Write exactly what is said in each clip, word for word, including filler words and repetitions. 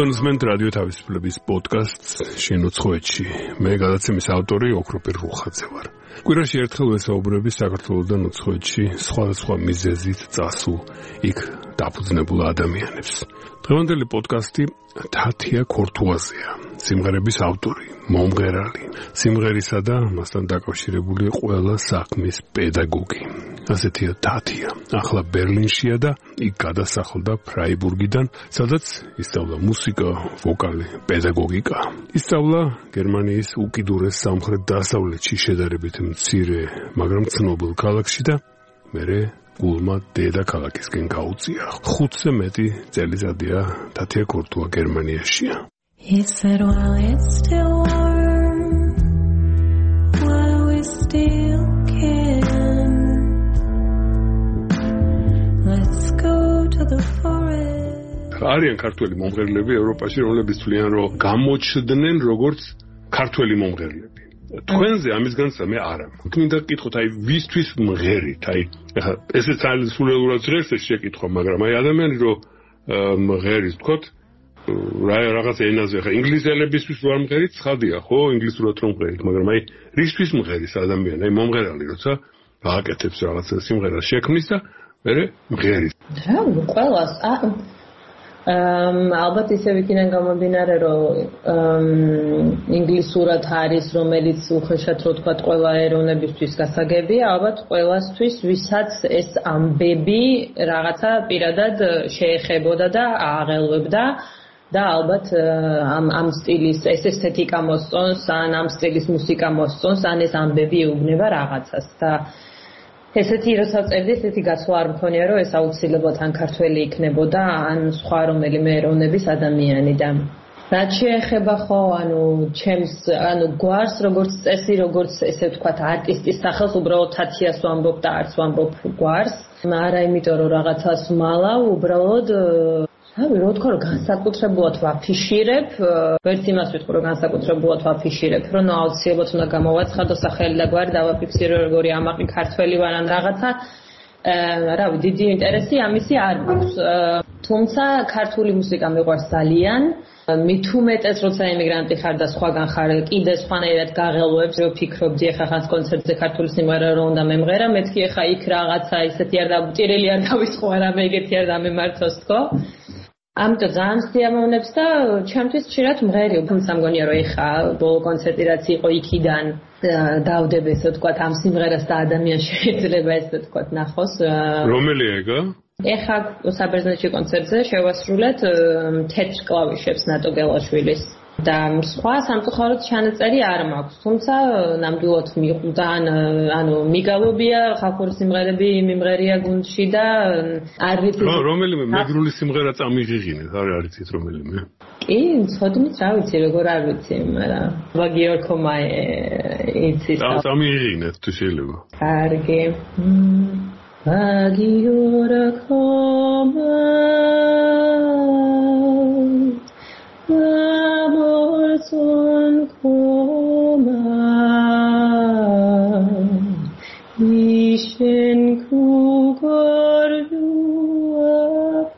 თქვენსმენთ რადიო თავისუფლების პოდკასტს შენუცხოვეთში. მე გადაცემის ავტორი ოქროპირ რუხაძე ვარ. კვირაში ერთხელ ვესაუბრები საქართველოსთან უცხოეთში სხვადასხვა მიზეზით წასულ იქ დაფუძნებულ ადამიანებს. დღევანდელი პოდკასტი თათია ქორთუაზეა, სიმღერების ავტორი, მომღერალი, სიმღერისა და მასთან დაკავშირებული ყველა საქმის პედაგოგი. ასეთია თათია. ახლა ბერლინშია და იქ გადასახლდა ფრაიბურგიდან, სადაც ისწავლა მუსიკა, ვოკალი, პედაგოგიკა. ისწავლა გერმანიის უკიდურეს სამხრეთ-დასავლეთში შედარებით მცირე, მაგრამ ცნობილ ქალაქში და მერე გულმა დედაქალაქისკენ გაუწია. ხუთზე მეტი წელიწადია თათია ქორთუა გერმანიაშია. He said while it's still warm, while we still can, let's go to the forest. არიან ქართველი მომღერლები ევროპაში, რომლებიც თვლიან, რომ გამოჩნდნენ როგორც ქართველი მომღერლები. თქვენზე ამის განსა მე არა. მინდა გკითხოთ, აი ვისთვის მღერით? აი ეხლა ესეც ძალიან სულელურად ჟღერს ეს შეკითხვა, მაგრამ აი ადამიანი რომ მღერის თქოთ რა რაღაცა ენაზე ხა ინგლისელებისთვის რო არ მღერით, ცხადია, ხო, ინგლისურად რომ მღერით, მაგრამ აი რისთვის მღერის ადამიანი, აი მომღერალი როცა გააკეთებს რაღაცა სიმღერას შექმნის და მერე მღერის. რა, ყველას ალბათ ისე ვიქიდან გამომდინარე, რომ ინგლისურად არის, რომელიც უხეშად რო თქვა ყველა ეროვნებისთვის გასაგებია, ალბათ ყველასთვის, ვისაც ეს ამბები რაღაცა პირადად შეეხებოდა და აღელვებდა და ალბათ ამ ამ სტილის ეს ესთეტიკა მოსწონს, ან ამ სტილის მუსიკა მოსწონს, ან ეს ამბები ეუბნება რაღაცას და ესეთი როცა წერდი, ესეთი გაცვლა არ მქონია, რომ ეს აუცილებლად ან ქართველი იქნებოდა, ან სხვა რომელიმე ეროვნების ადამიანი და რაც შეეხება ხო, ანუ ჩემს, ანუ გვარს, როგორც წესი, როგორც ესე ვთქვათ, არტისტის სახელს უბრალოდ თათიას ვამბობ და არც ვამბობ გვარს. არა იმიტომ, რომ რაღაცას ვმალავ, უბრალოდ რავი, რო თქვა, რომ განსაკუთრებულად ვაფიშირებ, ვერც იმას ვიტყვი, რომ განსაკუთრებულად ვაფიშირებ, რომ ნუ აუცილებლად უნდა გამოვაცხადო სახელი და გვარი და ვაფიქსირო, როგორი ამაყი ქართველი ვარ ან რაღაცა. რავი, დიდი ინტერესი ამისი არ მაქვს. თუმცა ქართული მუსიკა მიყვარს ძალიან. მით უმეტეს, როცა ემიგრანტი ხარ და სხვაგან ხარ, კიდე სხვანაირად გაღელვებს, რომ ფიქრობდი, ეხა ხანს კონცერტზე ქართული სიმღერა რო უნდა მემღერა, მეთქი ეხა იქ რაღაცა ისეთი არ დამტირელი არ დავისხო, არამე ეგეთი არ დამემართოს თქო. ამიტომ ძალიან სიამოვნებს და ჩემთვის ხშირად მღერი, თუმცა მგონია რომ ეხა ბოლო კონცერტი რაც იყო იქიდან დავდებ ესე ვთქვათ ამ სიმღერას და ადამიანს შეიძლება ესე ვთქვათ ნახოს. რომელია ეგა? ეხა საბერძნეთში კონცერტზე შევასრულეთ თეთრ კლავიშებს ნატო გელაშვილის და სხვა სამწუხაროდ ჩანაწერი არ მაქვს, თუმცა ნამდვილად მიყვდა, ანუ მიგალობია ხალხური სიმღერები მიმღერია გუნდში და არ ვიცი რომელიმე მეგრული სიმღერა წამიღიღინეთ, არ არიცით რომელიმე? კი, ცოდნით რა ვიცი, როგორ არ ვიცი, მაგრამ ვაგიორქომაე იცის. წამიღიღინეთ თუ შეიძლება. კარგი. ვაგიორქომაე amor son coma ischen kugordua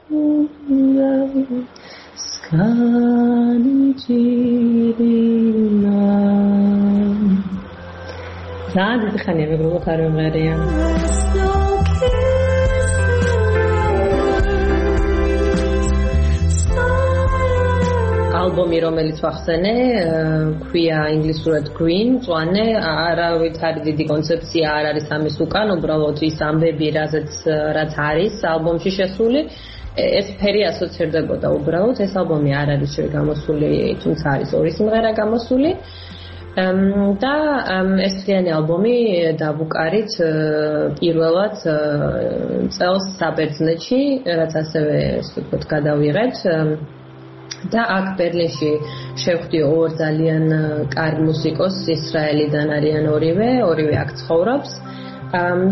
pula skanjirina zadi khani me gro kharo meriya ალბომი, რომელიც ვახსენე, ქვია ინგლისურად Green, წვანე, არავით არის დიდი კონცეფცია არ არის ამის უკან, უბრალოდ ის ამბები, რაზეც რაც არის ალბომში შესული, ეს ფერი ასოცირდებოდა უბრალოდ, ეს ალბომი არ არის გამოსული, თუმცა არის ორი სიმღერა გამოსული. და ეს მთლიანი ალბომი დავუკარით პირველად წელს საბერძნეთში, რაც ასევე ასე ვთქვათ გადავიღეთ. და აქ ბერლინში შევხვდი ორ ძალიან კარგ მუსიკოსს, ისრაელიდან არიან ორივე, ორივე აქ ცხოვრობს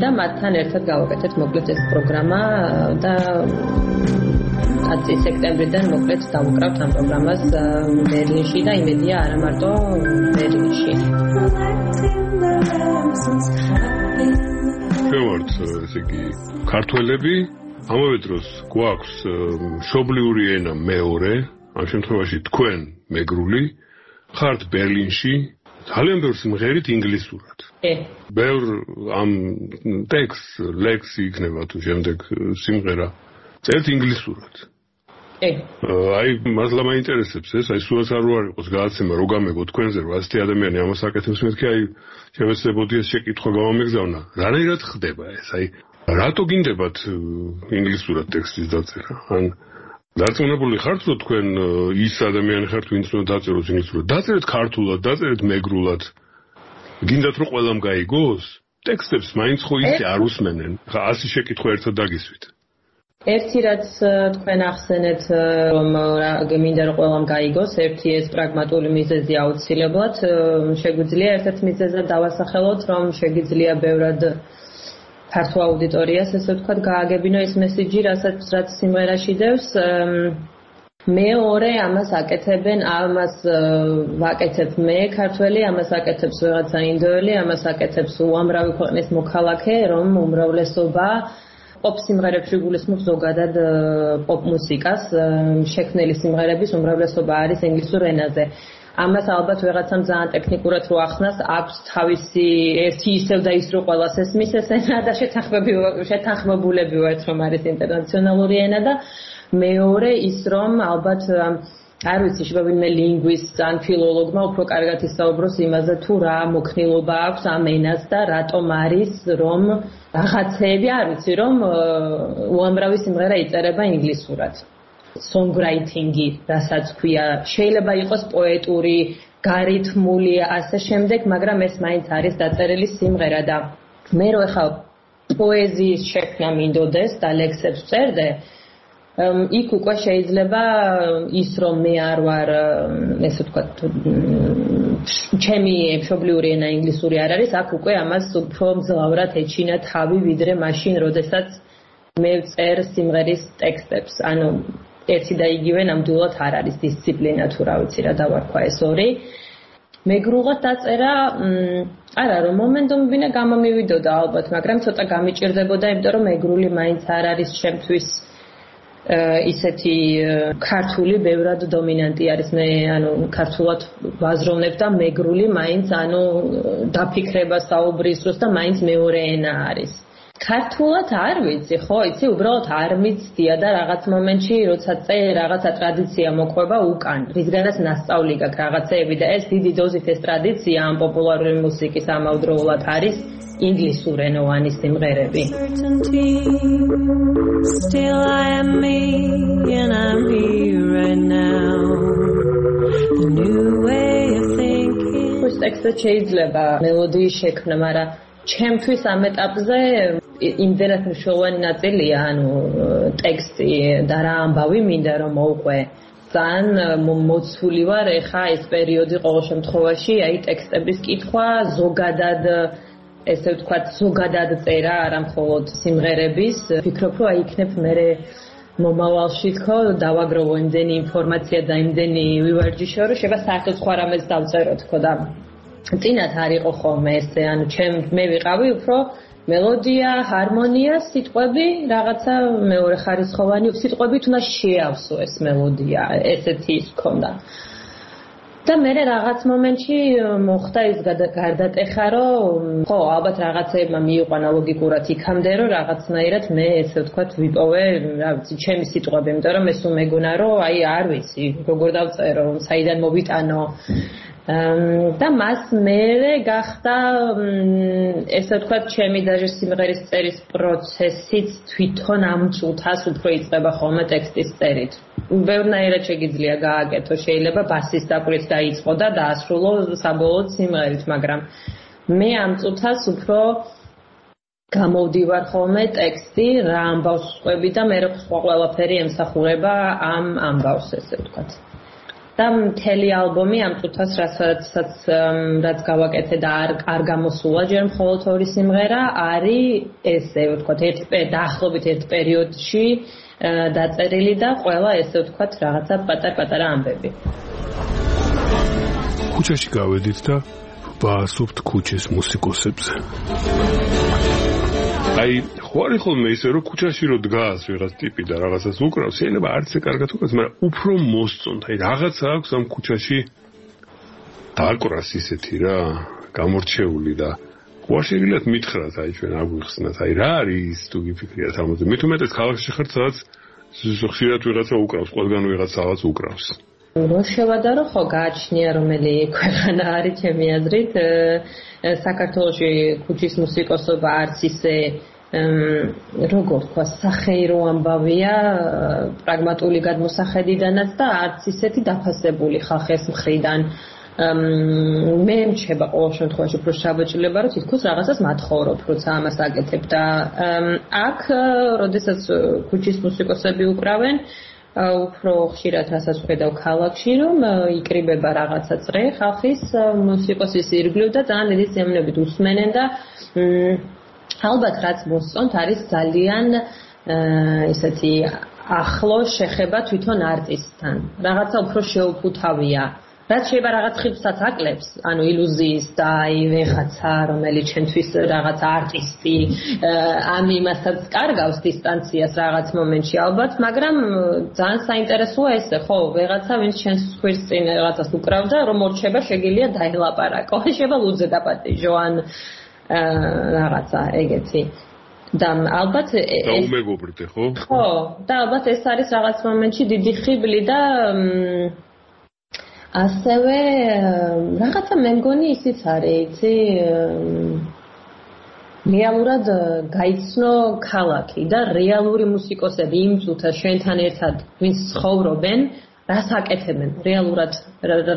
და მათთან ერთად გავაკეთეთ მოკლედ ეს პროგრამა და ათი სექტემბრიდან მოკლედ დავუკრავთ ამ პროგრამას ბერლინში და იმედია არა მარტო ბერლინში. ვართ, ესე იგი, ქართველები, ამავე დროს გვაქვს მშობლიური ენა მეორე, ამ შემთხვევაში თქვენ მეგრული ხართ ბერლინში ძალიან ბევრ სიმღერით ინგლისურად. ე. ბევრ ამ ტექსტ, ლექსი იქნება თუ შემდეგ სიმღერა წერთ ინგლისურად. ე. აი, მასლა მაინტერესებს ეს, აი სულაც არ არ იყოს გადაცემა რო გამეგო თქვენზე, რომ ასეთი ადამიანი ამას აკეთებს, მეთქი აი შემეცდებოდი ეს შეკითხვა გამომიგზავნა. რანაირად ხდება ეს? აი, რატო გინდებათ ინგლისურად ტექსტის დაწერა? ან დარწმუნებული ხართ, რომ თქვენ ის ადამიანი ხართ, ვინც უნდა დაწეროს ინგლისურად? დაწერეთ ქართულად, დაწერეთ მეგრულად. გინდათ რომ ყველამ გაიგოს? ტექსტებს მაინც ხო ისე არ უსმენენ. ხა ასი შეკითხვა ერთად დაგისვით. ერთი რაც თქვენ ახსენეთ, რომ მინდა რომ ყველამ გაიგოს, ერთი ეს პრაგმატული მიზეზი აუცილებლად, შეგვიძლია ერთ-ერთ მიზეზად დავასახელოთ, რომ შეგვიძლია ბევრად ქართულ აუდიტორიას, ესე ვთქვათ, გააგებინო ეს მესიჯი, რასაც რაც სიმღერაში დევს. მეორე ამას აკეთებენ, ამას ვაკეთებ მე ქართველი, ამას აკეთებს ვიღაცა ინდოელი, ამას აკეთებს უამრავი ქვეყნის მოქალაქე, რომ უმრავლესობა პოპ სიმღერებში გულისხმობს ზოგადად პოპ მუსიკას, შექმნილი სიმღერების უმრავლესობა არის ინგლისურ ენაზე. ამას ალბათ ვიღაცამ ძალიან ტექნიკურად რო ახსნას, აქვს თავისი ერთი ისევ და ის რო ყველას ესმის ეს ენა და შეთანხმებულები ვართ, რომ არის ინტერნაციონალური ენა და მეორე ის რომ ალბათ არ ვიცი, შევავინმე ლინგვისტს ან ფილოლოგმა უფრო კარგად ისაუბროს იმაზე, თუ რა მოქნილობა აქვს ამ ენას და რატომ არის, რომ რაღაცეები არ ვიცი, რომ უამრავი სიმღერა იწერება ინგლისურად. Songwriting-ი, რასაც ქვია, შეიძლება იყოს პოეტური, გარითმული, ასე შემდეგ, მაგრამ ეს მაინც არის დაწერილი სიმღერა და მე რო ეხლა პოეზიის შექმნა მინდოდეს და ლექსებს წერდე, იქ უკვე შეიძლება ის რომ მე არ ვარ, ესე ვთქვათ, ჩემი მშობლიური ენა ინგლისური არ არის, აქ უკვე ამას უფრო მძლავრად ეჩინა თავი, ვიდრე მაშინ, როდესაც მე წერ სიმღერის ტექსტებს. ანუ ერთი და იგივე ნამდვილად არ არის დისციპლინა თუ რა ვიცი რა დავარქვა ეს ორი. მეგრულად დაწერა, არა რომ მომენტომბინა გამომივიდოდა ალბათ, მაგრამ ცოტა გამიჭირდებოდა, იმიტომ რომ მეგრული მაინც არ არის ჩემთვის ისეთი ქართული ბევრად დომინანტი არის. მე ანუ ქართულად ვაზროვნებ და მეგრული მაინც ანუ დაფიქრება საუბრის დროს და მაინც მეორე ენა არის. ქართულად არ ვიცი, ხო, იცი, უბრალოდ არ მიცდია და რაღაც მომენტში, როცა წე რაღაცა ტრადიცია მოყვება უკან, რისგანაც ნასწავლი გაქვს რაღაცეები და ეს დიდი დოზით ეს ტრადიცია ამ პოპულარული მუსიკის ამავდროულად არის ინგლისურენოვანი სიმღერები. Still I am me and I'm here right now. The new way of thinking. ეს ტექსტი შეიძლება მელოდიის შექმნა, მაგრამ ჩემთვის ამ ეტაპზე იმდენად მნიშვნელოვანი ნაწილია, ანუ ტექსტი და რა ამბავი მინდა რომ მოვყვე. ძალიან მოცული ვარ ეხა ეს პერიოდი ყოველ შემთხვევაში, აი ტექსტების კითხვა, ზოგადად ესე ვთქვათ, ზოგადად წერა, არა მხოლოდ სიმღერების. ვფიქრობ, რომ აი იქნებ მე მომავალში თქო დავაგროვო იმდენი ინფორმაცია და იმდენი ვივარჯიშო, რომ შეიძლება საერთოდ სხვა რამეს დავწერო თქო და წინათ არ იყო ხოლმე ესე, ანუ ჩემ მე ვიყავი უფრო მელოდია, ჰარმონია, სიტყვები, რაღაცა მეორე ხარისხოვანი სიტყვებით უნდა შეავსო ეს მელოდია, ესეთი ის ქონდა. და მე რაღაც მომენტში მოხდა ის გარდატეხა, რომ ხო, ალბათ რაღაცეებმა მიიყვანა ლოგიკურად იქამდე, რომ რაღაცნაირად მე ესე ვთქვათ ვიპოვე, რა ვიცი, ჩემი სიტყვები, იმიტომ რომ ეს უმეგონა, რომ აი არ ვიცი, როგორ დავწერო, საიდან მოვიტანო. და მას მერე გახდა ესე ვთქვათ ჩემი დაჟე სიმღერის წერის პროცესიც თვითონ ამ წუთას უფრო იწყება ხოლმე ტექსტის წერით. ბევრნაირად შეგიძლია გააკეთო, შეიძლება ბასის დაკვირით დაიწყო და დაასრულო საბოლოოდ სიმღერით, მაგრამ მე ამ წუთას უფრო გამოვდივარ ხოლმე ტექსტი, რა ამბავს ვყვები და მე სხვა ყველაფერი ემსახურება ამ ამბავს, ესე ვთქვათ. და მთელი ალბომი ამ წუთას რასაც რაც გავაკეთე და არ არ გამოსულა ჯერ მხოლოდ ორი სიმღერა არის ესე ვთქვათ ერთ დაახლოებით ერთ პერიოდში დაწერილი და ყველა ესე ვთქვათ რაღაცა პატარ-პატარა ამბები. ქუჩაში გავედით და ვაასობთ ქუჩის მუსიკოსებზე. აი ხო არის ხოლმე ისე რომ ქუჩაში რო დგას ვიღაც ტიპი და რაღაცას უკრავს, შეიძლება არც ე კარგად უკრავს, მაგრამ უფრო მოსწონთ. აი რაღაცა აქვს ამ ქუჩაში დაკვრას ისეთი რა, გამორჩეული და ხო შეგიძლიათ მითხრათ აი ჩვენ აგვიხსნათ, აი რა არის თუ გიფიქრიათ ამაზე. მით უმეტეს ქალაქში ხართ სადაც ხშირად ვიღაცა უკრავს, ყველგან ვიღაცა რაღაც უკრავს. რო შევადარო ხო გააჩნია რომელი ქვეყანა არის ჩემი აზრით საქართველოში ქუჩის მუსიკოსობა არც ისე როგორ თქვა სახეირო ამბავია პრაგმატული გადმოსახედიდანაც და არც ისეთი დაფასებული ხალხის მხრიდან მე მჩება ყოველ შემთხვევაში უფრო შაბაჭლება რომ თითქოს რაღაცას მათხოვრობ როცა ამას აკეთებ და აქ როდესაც ქუჩის მუსიკოსები უკრავენ უფრო ხშირად რასაც ვხედავ ქალაქში რომ იკრიბება რაღაცა წრე ხალხის მუსიკოსის ირგვლივ და ძალიან დიდი სიამოვნებით უსმენენ და ალბათ რაც მოსწონთ არის ძალიან ისეთი ახლო შეხება თვითონ არტისტთან რაღაცა უფრო შეუფუთავია რაც შეიძლება რაღაც ხიბსაც აკლებს, ანუ ილუზიის და აი ვეხაცა, რომელიც ჩვენთვის რაღაც არტისტი, ამ იმასაც კარგავს დისტანციას რაღაც მომენტში ალბათ, მაგრამ ძალიან საინტერესოა ესე, ხო, ვეღაცა ვინც ჩვენს ხვილს წინ რაღაცას უკრავდა, რომ მორჩება შეგიძლია დაელაპარაკო, შეიძლება ლუძე დაპატიჟო ან რაღაცა ეგეთი. და ალბათ დაუმეგობრდე, ხო? ხო, და ალბათ ეს არის რაღაც მომენტში დიდი ხიბლი და ასევე რაღაცა მე მგონი ისიც არის, იცი, რეალურად გაიცნო ქალაქი და რეალური მუსიკოსები იმ წუთას ჩვენთან ერთად ვინც ცხოვრობენ, რას აკეთებენ, რეალურად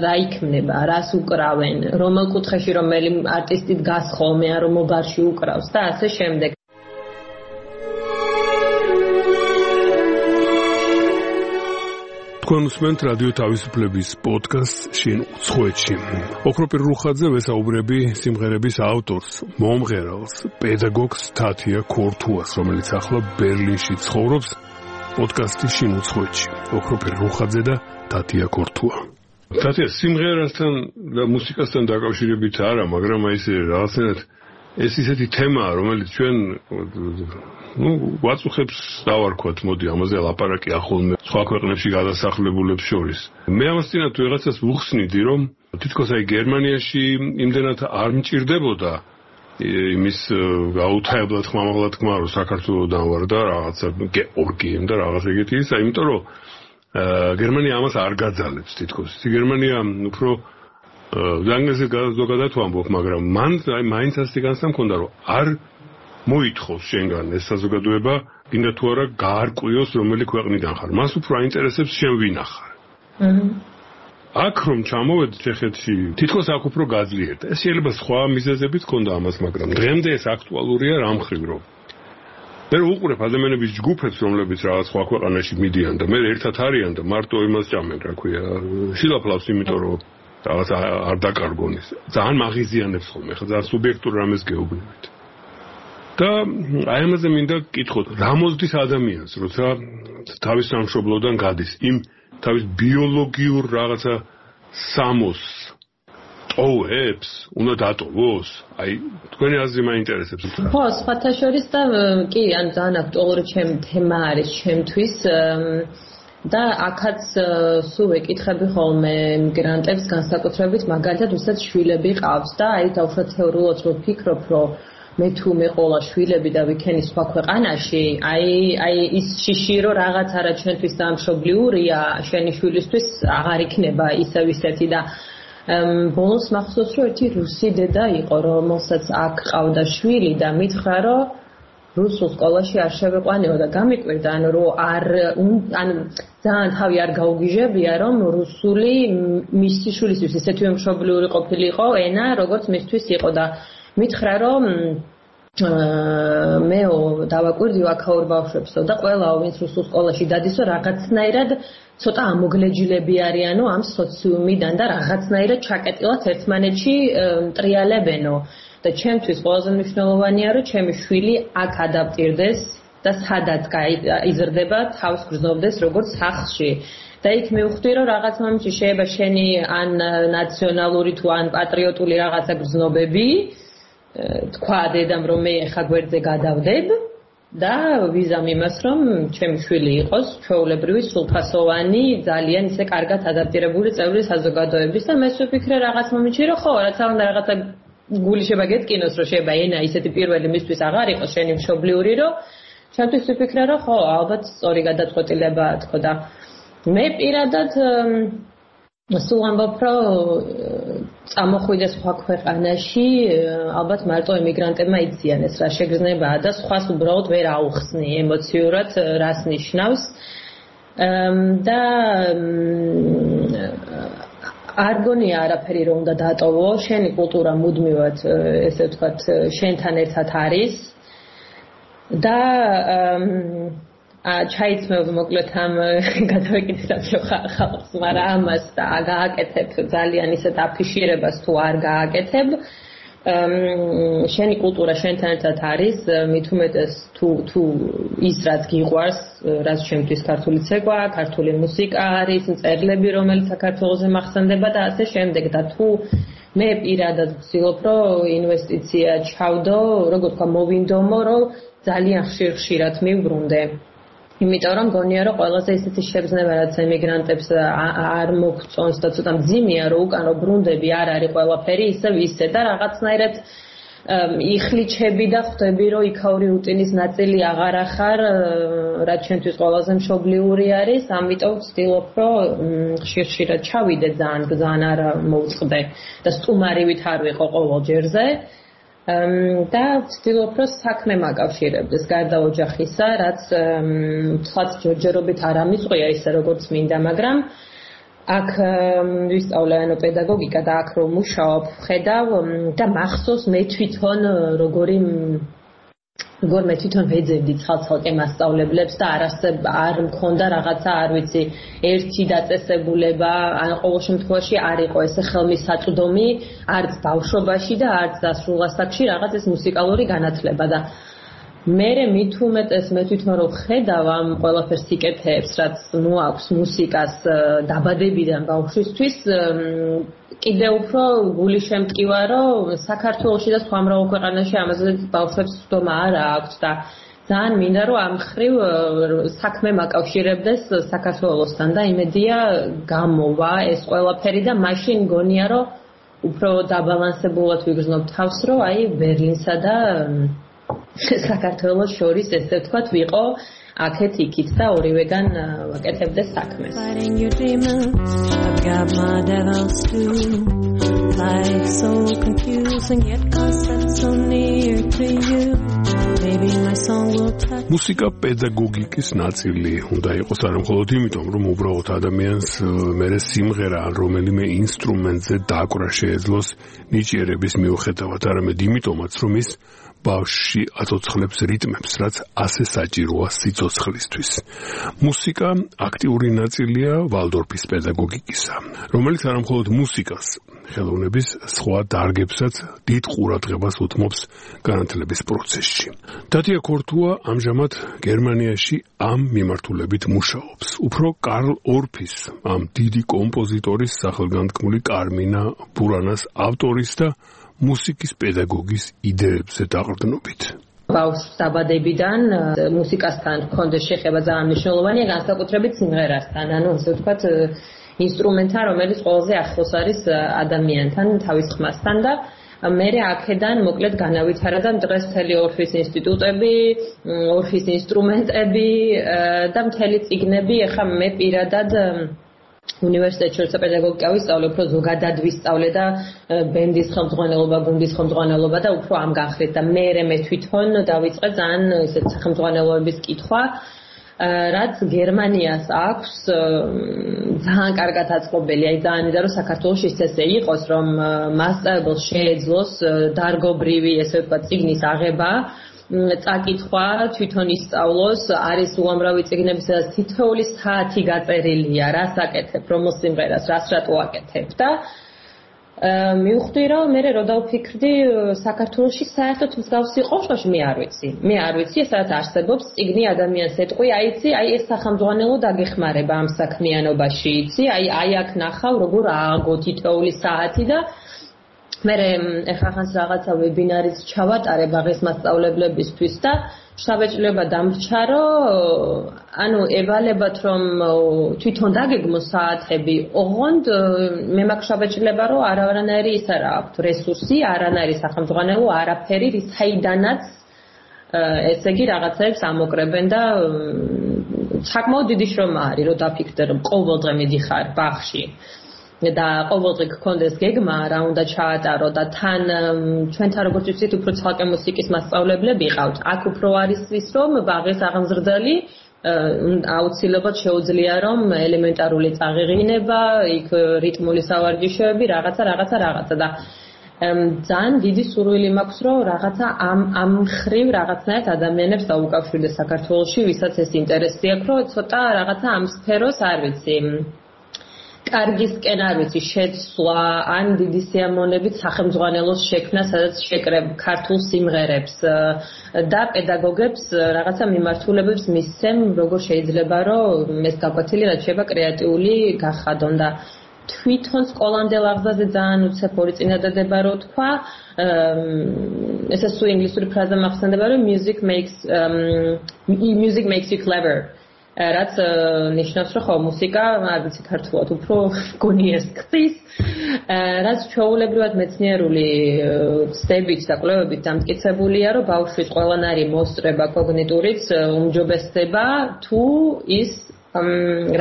რა იქნება, რას უკრავენ, რომელ კუთხეში რომელი არტისტი დგას ხოლმე, ან რომელ ბარში უკრავს და ასე შემდეგ. თქვენ უსმენთ რადიო თავისუფლების პოდკასტს შინ უცხოეთში. ოქროპირ რუხაძე ვესაუბრები სიმღერების ავტორს, მომღერალს, პედაგოგს თათია ქორთუას, რომელიც ახლა ბერლინში ცხოვრობს. პოდკასტი შინ უცხოეთში. ოქროპირ რუხაძე და თათია ქორთუა. თათია სიმღერასთან და მუსიკასთან დაკავშირებით არა, მაგრამ აი ესე რაღაცნაირად ეს ისეთი თემაა, რომელიც ჩვენ ну, ვაწუხებს დავარქვათ, მოდი, ამაზე ლაპარაკი ახოლმე სხვა ქვეყნებში გადასახლებულებს შორის. მე ამას წინათ ვიღაცას ვუხსნიდი, რომ თითქოს აი გერმანიაში იმდენად არ მჭირდებოდა იმის გაუთაებლად ხმამაღლა თქმა, რომ საქართველოსდან ვარ და რაღაცა გეორგიემ და რაღაც ეგეთი ისა, იმიტომ რომ გერმანია ამას არ გაძალებს თითქოს. გერმანია უფრო ზანგაზე ზოგადად ვამბობ, მაგრამ მან აი მაინც ასე განსა მქონდა, რომ არ მოითხოვს შენგან ეს საზოგადოება, გინდა თუ არა გაარკვიოს რომელი ქვეყნიდან ხარ. მას უფრო აინტერესებს შენ ვინა ხარ. აქ რომ ჩამოვედი ჩეხეთში, თითქოს აქ უფრო გაძლიერდა. ეს შეიძლება სხვა მიზეზებით ქონდა ამას, მაგრამ დღემდე ეს აქტუალურია რამ ხრივ რომ. მე უყურებ ადამიანების ჯგუფებს, რომლებიც რაღაც სხვა ქვეყანაში მიდიან და მე ერთად არიან და მარტო იმას ჭამენ, რა ქვია, შილაფლავს, იმიტომ რომ რაღაც არ დაკარგონის. ძალიან მაღიზიანებს ხოლმე, ხა ძალიან სუბიექტურ რამეს გეუბნებით. და აი ამაზე მინდა გკითხოთ, რა მოსდის ადამიანს, როცა თავის სამშობლოდან გადის, იმ თავის ბიოლოგიურ რაღაცა სამოს ტოვებს, უნდა დატოვოს? აი, თქვენი აზრი მაინტერესებს. ხო, სხვათა შორის და კი, ან ძალიან აქტუალური ჩემი თემა არის ჩემთვის და აქაც სულ ვეკითხები ხოლმე მიგრანტებს განსაკუთრებით, მაგალითად, ვისაც შვილები ყავს და აი დაუშვათ თეორიულად რო ვფიქრობ, რომ მე თუ მე ყოლა შვილები და ვიქენი სხვა ქვეყანაში, აი აი ის შიში რომ რაღაც არა ჩვენთვის დამშობლიურია, შენი შვილისთვის აღარ იქნება ისევ ისეთი და ბოლოს მახსოვს რომ ერთი რუსი დედა იყო, რომელსაც აქ ყავდა შვილი და მითხრა რომ რუსულ სკოლაში არ შევეყვანეო და გამიკვირდა, ანუ რომ არ ან ძალიან თავი არ გაუგიჟებია, რომ რუსული მისი შვილისთვის ისეთივე მშობლიური ყოფილიყო ენა, როგორც მისთვის იყო და მითხრა რომ მეო დავაკვირდიო აქაურ ბავშვებსო და ყველაო ვინც რუსულ სკოლაში დადისო რაღაცნაირად ცოტა ამოგლეჯილები არიანო ამ სოციუმიდან და რაღაცნაირად ჩაკეტილად ერთმანეთში მტრიალებენო და ჩემთვის ყველაზე მნიშვნელოვანია რომ ჩემი შვილი აქ ადაპტირდეს და სადაც იზრდება თავს გრძნობდეს როგორც სახლში და იქ მივხვდი რომ რაღაც მომენტში შეიძლება შენი ან ნაციონალური თუ ან პატრიოტული რაღაცა გრძნობები თქვა დედამ რომ მე ხა გვერდზე გადავდებ და ვიზამ იმას რომ ჩემი შვილი იყოს ჩვეულებრივი სრულფასოვანი ძალიან ისე კარგად ადაპტირებული წევრი საზოგადოების და მე ვფიქრე რაღაც მომენტში რომ ხო რაცა უნდა რაღაცა გული შეება გეტკინოს რომ შეება ენა ისეთი პირველი მისთვის აღარ იყოს შენი მშობლიური რომ ჩემთვის ვფიქრე რომ ხო ალბათ სწორი გადაწყვეტილებაა თქო და მე პირადად სულ ამბობ რომ წამოხვიდე სხვა ქვეყანაში ალბათ მარტო ემიგრანტებმა იციან ეს რა შეგრძნებაა და სხვას უბრალოდ ვერ აუხსნი ემოციურად რას ნიშნავს და არ გონია არაფერი რომ უნდა დატოვო შენი კულტურა მუდმივად ესე ვთქვათ შენთან ერთად არის და ჩაიცმევ მოკლედ ამ გადავეკითხეთ ხალხს, მაგრამ ამას გააკეთებ ძალიან ისეთ აფიშირებას თუ არ გააკეთებ, შენი კულტურა შენთან ერთად არის, მით უმეტეს თუ თუ ის რაც გიყვარს, რაც ჩემთვის ქართული ცეკვა, ქართული მუსიკა არის, მწერლები, რომელიც საქართველოზე მახსენდება და ასე შემდეგ და თუ მე პირადად ვცდილობ, რომ ინვესტიცია ჩავდო, როგორ თქვა, მოვინდომო, რომ ძალიან ხშირ-ხშირად მივბრუნდე. იმიტომ რომ გონია რომ ყველაზე ისეთი შეგრძნება რაც ემიგრანტებს არ მოგწონს და ცოტა მძიმეა რომ უკან რო ბრუნდები არ არის ყველაფერი ისე ვისე და რაღაცნაირად იხლიჩები და ხვდები რომ იქაური რუტინის ნაწილი აღარ ახარ რაც ჩემთვის ყველაზე მშობლიური არის ამიტომ ვცდილობ რომ ხშირ-ხშირად ჩავიდე ძალიან ძალიან არ მოვწყდე და სტუმარივით არ ვიყო ყოველ ჯერზე და ვცდილობ რომ საქმე მაკავშირებდეს გარდა ოჯახისა, რაც თქვათ ჯერჯერობით არ ამიწყია ისე როგორც მინდა, მაგრამ აქ ვისწავლე ანუ პედაგოგიკა და აქ რომ მუშაობ, ხედავ და მახსოვს მე თვითონ როგორი როგორ მე თვითონ ვეძებდი ცალ-ცალკე მასწავლებლებს და არასდროს არ მქონდა რაღაცა, არ ვიცი, ერთი დაწესებულება, ან ყოველ შემთხვევაში არ იყო ესე ხელმისაწვდომი, არც ბავშვობაში და არც დასრულასაკში რაღაც ეს მუსიკალური განათლება და მე მით უმეტეს მე თვითონ რომ ხედავ ამ ყველაფერს იკეთებს, რაც მოაქვს მუსიკას დაბადებიდან ბავშვისთვის, კიდევ უფრო გული შემტკივა, რომ საქართველოში და სხვა მრავალ ქვეყანაში ამაზე ბავშვებს სვდომა არ აქვს და ძალიან მინდა რომ ამ ხრივ საქმე მაკავშირებდეს საქართველოსთან და იმედია გამოვა ეს ყველაფერი და მაშინ გონია რომ უფრო დაბალანსებულად ვიგრძნობ თავს, რომ აი ბერლინსა და საქართველოს შორის ესე ვთქვათ ვიყო აქეთ იქით და ორივეგან ვაკეთებდეს საქმეს. მუსიკა პედაგოგიკის ნაწილი უნდა იყოს არა მხოლოდ იმიტომ, რომ უბრალოდ ადამიანს მერე სიმღერა ან რომელიმე ინსტრუმენტზე დაკვრა შეეძლოს ნიჭიერების მიუხედავად, არამედ იმიტომაც, რომ ის ბავშვში აცოცხლებს რიტმებს, რაც ასე საჭიროა სიცოცხლისთვის. მუსიკა აქტიური ნაწილია ვალდორფის პედაგოგიკისა, რომელიც არა მხოლოდ მუსიკას, ხელოვნების სხვა დარგებსაც დიდ ყურადღებას უთმობს განათლების პროცესში. დადია ქორთუა ამჟამად გერმანიაში ამ მიმართულებით მუშაობს. უფრო კარლ ორფის, ამ დიდი კომპოზიტორის სახელგანთქმული კარმინა ბურანას ავტორის და მუსიკის პედაგოგის იდეებზე დაყრდნობით. ბავშვს დაბადებიდან მუსიკასთან ჰქონდეს შეხება ძალიან მნიშვნელოვანია, განსაკუთრებით სიმღერასთან, ანუ ასე ვთქვათ, ინსტრუმენტთან, რომელიც ყველაზე ახლოს არის ადამიანთან, თავის ხმასთან და მე აქედან მოკლედ განავითარა და დღეს მთელი ორფის ინსტიტუტები, ორფის ინსტრუმენტები და მთელი წიგნები, ეხლა მე პირადად უნივერსიტეტში როცა პედაგოგიკა ვისწავლე, უფრო ზოგადად ვისწავლე და ბენდის ხელმძღვანელობა, გუნდის ხელმძღვანელობა და უფრო ამ განხრით და მე მე თვითონ დავიწყე ძალიან ესეთ სახელმძღვანელოების კითხვა, რაც გერმანიას აქვს ძალიან კარგად აწყობილი, აი ძალიან მინდა რომ საქართველოში ესე იყოს, რომ მასწავლებელს შეეძლოს დარგობრივი, ესე ვთქვათ, წიგნის აღება, წაკითხვა, თვითონ ისწავლოს, არის უამრავი წიგნები, სადაც თითოეული საათი გაწერილია, რას აკეთებ, რომელ სიმღერას, რას რატო აკეთებ და მივხვდი, რომ მე რო დავფიქრდი, საქართველოში საერთოდ მსგავსი ყოშყოში მე არ ვიცი. მე არ ვიცი, სადაც არსებობს წიგნი ადამიანს ეტყვი, აი იცი, აი ეს სახელმძღვანელო დაგეხმარება ამ საქმიანობაში, იცი, აი აი აქ ნახავ, როგორ ააგო თითოეული საათი და მე ეხლა ხანს რაღაცა ვებინარიც ჩავატარე ბაღის მასწავლებლებისთვის და შაბეჭდილება დამრჩა, რომ ანუ ევალებათ რომ თვითონ დაგეგმო საათები, ოღონდ მე მაქვს შაბეჭდილება, რომ არავანაირი ის არა აქვთ რესურსი, არანაირი სახელმძღვანელო, არაფერი, საიდანაც ესე იგი რაღაცებს ამოკრებენ და საკმაოდ დიდი შრომა არის, რომ დაფიქრდე, რომ ყოველდღე მიდიხარ ბაღში. და ყოველდღე გქონდეს გეგმა, რა უნდა ჩაატარო და თან ჩვენთან როგორც ვიცით, უფრო ცალკე მუსიკის მასწავლებლები ყავთ. აქ უფრო არის ის, რომ ბაღის აღმზრდელი აუცილებლად შეუძლია, რომ ელემენტარული წაღიღინება, იქ რიტმული სავარჯიშოები, რაღაცა, რაღაცა, რაღაცა და ძალიან დიდი სურვილი მაქვს, რომ რაღაცა ამ ამ ხრივ რაღაცნაირად ადამიანებს დაუკავშირდეს საქართველოში, ვისაც ეს ინტერესი აქვს, რომ ცოტა რაღაცა ამ სფეროს არ ვიცი. კარგისკენ არ ვიცი შეცვლა ან დიდი სიამოვნებით სახელმძღვანელოს შექმნა, სადაც შეკრებ ქართულ სიმღერებს და პედაგოგებს რაღაცა მიმართულებებს მისცემ, როგორ შეიძლება რომ ეს გაკვეთილი რაც შეება კრეატიული გახადონ და თვითონ სკოლამდე ლაღზაზე ძალიან უცებ ორი წინადადება რო თქვა, ესე სულ ინგლისური ფრაზა მახსენდება, რომ music makes um, music makes you clever. რაც ნიშნავს, რომ ხო მუსიკა, არ ვიცი ქართულად, უფრო გონიეს ხდის, რაც ჩვეულებრივად მეცნიერული ცდებით და კვლევებით დამტკიცებულია, რომ ბავშვის ყველანაირი მოსწრება კოგნიტურიც უმჯობესდება, თუ ის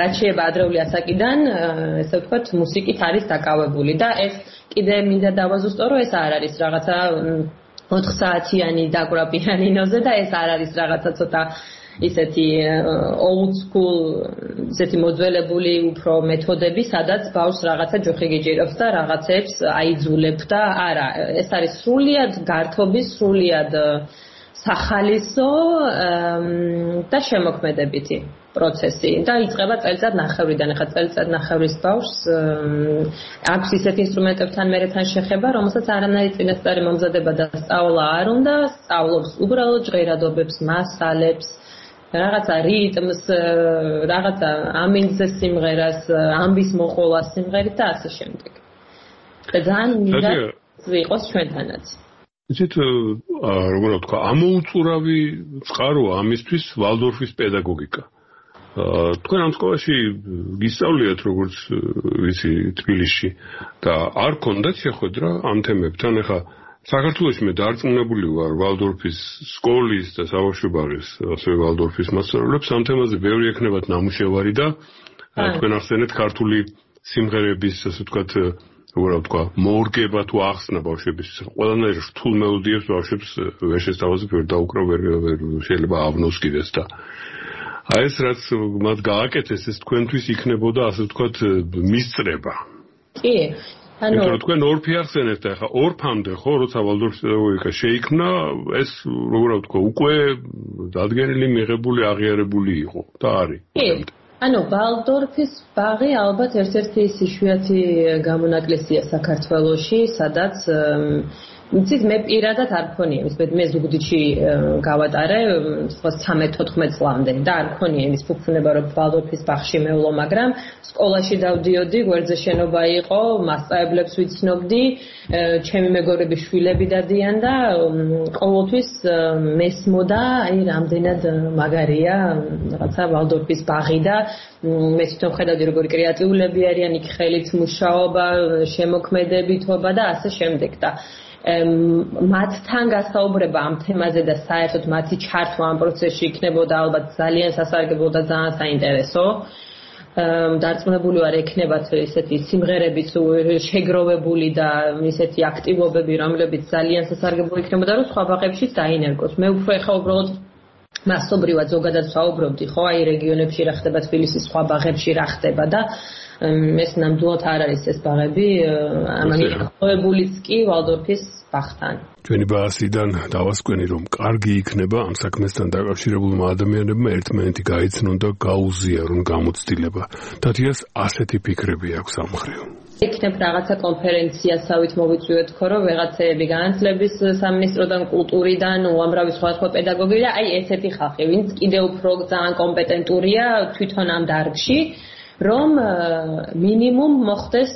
რაც შეება ადრეული ასაკიდან, ესე ვთქვათ, მუსიკით არის დაკავებული და ეს კიდე მინდა დავაზუსტო, რომ ეს არ არის რაღაცა ოთხ საათიანი დაკვრა პიანინოზე და ეს არ არის რაღაცა ცოტა ისეთი old school ისეთი მოძველებული უფრო მეთოდები, სადაც ბავშვს რაღაცა ჯოხი გიჭირავს და რაღაცებს აიძულებ და არა, ეს არის სრულიად გართობის, სრულიად სახალისო და შემოქმედებითი პროცესი და იწყება წელიწად ნახევრიდან. ახლა წელიწად ნახევრის ბავშვს აქვს ისეთ ინსტრუმენტებთან მერეთან შეხება, რომელსაც არანაირი წინასწარი მომზადება და სწავლა არ უნდა, სწავლობს უბრალოდ ჟღერადობებს, მასალებს, რაღაცა რიტმს, რაღაცა ამინდზე სიმღერას, ამბის მოყოლას სიმღერით და ასე შემდეგ. და ძალიან მინდა იყოს ჩვენთანაც. იცით, როგორ ვთქვა, ამოუწურავი წყაროა ამისთვის ვალდორფის პედაგოგიკა. თქვენ ამ სკოლაში გისწავლიათ როგორც ვიცი თბილისში და არ გქონდათ შეხვედრა ამ თემებთან, ეხა საქართველოში მე დარწმუნებული ვარ ვალდორფის სკოლის და საბავშვო ბაღის, ასევე ვალდორფის მასწავლებლებს ამ თემაზე ბევრი ექნებათ ნამუშევარი და თქვენ ახსენეთ ქართული სიმღერების, ასე ვთქვათ, როგორ ვთქვა, მორგება თუ ახსნა ბავშვების, ყველანაირ რთულ მელოდიებს ბავშვებს ვერ შესთავაზებ, ვერ დაუკრავ, ვერ შეიძლება ავნოს კიდეც და აი ეს რაც მათ გააკეთეს, ეს თქვენთვის იქნებოდა, ასე ვთქვათ, მისწრება. კი. ანუ თქვენ ორფი ახსენეთ ახლა ორფამდე ხო როცა ვალდორფის პედაგოგიკა შეიქმნა ეს როგორ ვთქვა უკვე დადგენილი მიღებული აღიარებული იყო და არის. ანუ ვალდორფის ბაღი ალბათ ერთ-ერთი იშვიათი გამონაკლისია საქართველოში, სადაც იცით მე პირადად არ მქონია ის მე ზუგდიდში გავატარე ცხრამეტ თოთხმეტ წლამდე და არ მქონია ის ფუფუნება რომ ვალდორფის ბაღში მევლო, მაგრამ სკოლაში დავდიოდი, გვერდზე შენობა იყო, მასწავლებლებს ვიცნობდი, ჩემი მეგობრების შვილები დადიან და ყოველთვის მესმოდა, აი რამდენად მაგარია რაღაცა ვალდორფის ბაღი და მე თვითონ ხედავდი როგორი კრეატიულები არიან, იქ ხელით მუშაობა, შემოქმედებითობა და ასე შემდეგ და მათთან გასაუბრება ამ თემაზე და საერთოდ მათი ჩართვა ამ პროცესში იქნებოდა ალბათ ძალიან სასარგებლო და ძალიან საინტერესო. დარწმუნებული ვარ ექნებათ ესეთი სიმღერების შეგროვებული და ესეთი აქტივობები, რომლებიც ძალიან სასარგებლო იქნებოდა, რომ სხვა ბაღებშიც დაინერგოს. მე უფრო ეხა უბრალოდ მასობრივად ზოგადად ვსაუბრობდი, ხო, აი რეგიონებში რა ხდება, თბილისის სხვა ბაღებში რა ხდება და ეს ნამდვილად არ არის ეს ბაღები, ამანი ხოებულიც კი ვალდორფის ბაღთან. ჩვენი ბაზიდან დავასკვენი, რომ კარგი იქნება ამ საქმესთან დაკავშირებულმა ადამიანებმა ერთმანეთი გაიცნონ და გაუზიარონ გამოცდილება. დათიას ასეთი ფიქრები აქვს ამ მხრივ. იქნებ რაღაცა კონფერენციასავით მოვიწვიოთ ხო, რომ ვეღაცები განათლების სამინისტროდან, კულტურიდან, უამრავი სხვადასხვა პედაგოგი და აი ესეთი ხალხი, ვინც კიდევ უფრო ძალიან კომპეტენტურია თვითონ ამ დარგში. რომ მინიმუმ მოხდეს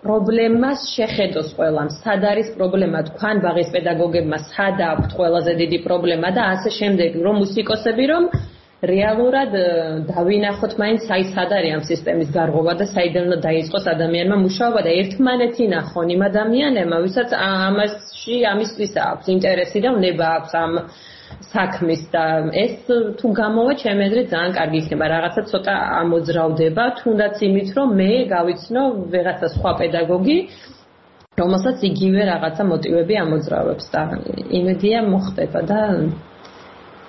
პრობლემას შეხედოს ყველამ. სად არის პრობლემა? თქვენ ბაღის პედაგოგებმა სად აქვთ ყველაზე დიდი პრობლემა და ასე შემდეგ, რომ მუსიკოსები რომ რეალურად დავინახოთ მაინც აი სად არის ამ სისტემის გარღვევა და საიდან უნდა დაიწყოს ადამიანმა მუშაობა და ერთმანეთი ნახონ იმ ადამიანებმა, ვისაც ამაში ამისთვის აქვს ინტერესი და უნება აქვს ამ საქმის და ეს თუ გამოვა ჩემი აზრით ძალიან კარგი იქნება. რაღაცა ცოტა ამოძრავდება, თუნდაც იმით, რომ მე გავიცნო ვიღაცა სხვა პედაგოგი, რომელსაც იგივე რაღაცა მოტივები ამოძრავებს და იმედია მოხდება და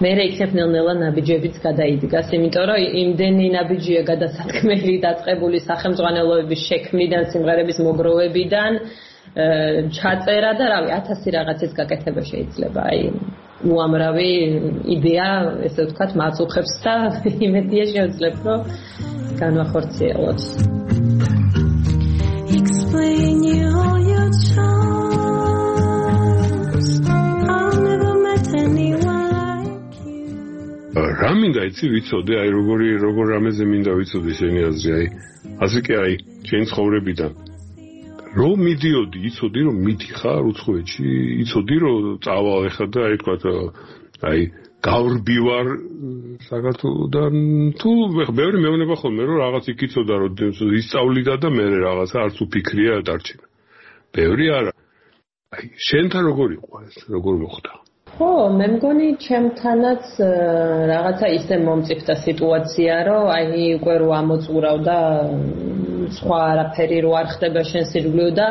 მე იქნებ ნელ-ნელა ნაბიჯებიც გადაიდგას, იმიტომ რომ იმდენი ნაბიჯია გადასათქმელი დაწყებული სახელმძღვანელოების შექმნიდან, სიმღერების მოგროვებიდან, ჩაწერა და რავი, ათასი რაღაცის გაკეთება შეიძლება. აი უამრავი იდეა, ესე ვთქვათ, მაწუხებს და იმედია შეძლებ, რომ განვახორციელოთ. Explain you all your charms. I've never met anyone like you. რა მინდა იცი ვიცოდე, აი როგორი როგორ რამეზე მინდა ვიცოდე შენი აზრი, აი ასე კი აი შენ ცხოვრებიდან რომ მიდიოდი, იცოდი რომ მიდიხარ უცხოეთში, იცოდი რომ წავალ ეხლა და აი თქვა აი გავრბივარ საქართველოდან თუ ბევრი მეუბნება ხოლმე რომ რაღაც იქ იცოდა რომ ისწავლიდა და მე რაღაცა არც უფიქრია დარჩენა. ბევრი არა. აი შენთან როგორ იყო ეს, როგორ მოხდა? ხო, მე მგონი ჩემთანაც რაღაცა ისე მომწიფდა სიტუაცია, რომ აი უკვე რო ამოწურავდა სხვა არაფერი რო არ ხდება შენს ირგვლივ და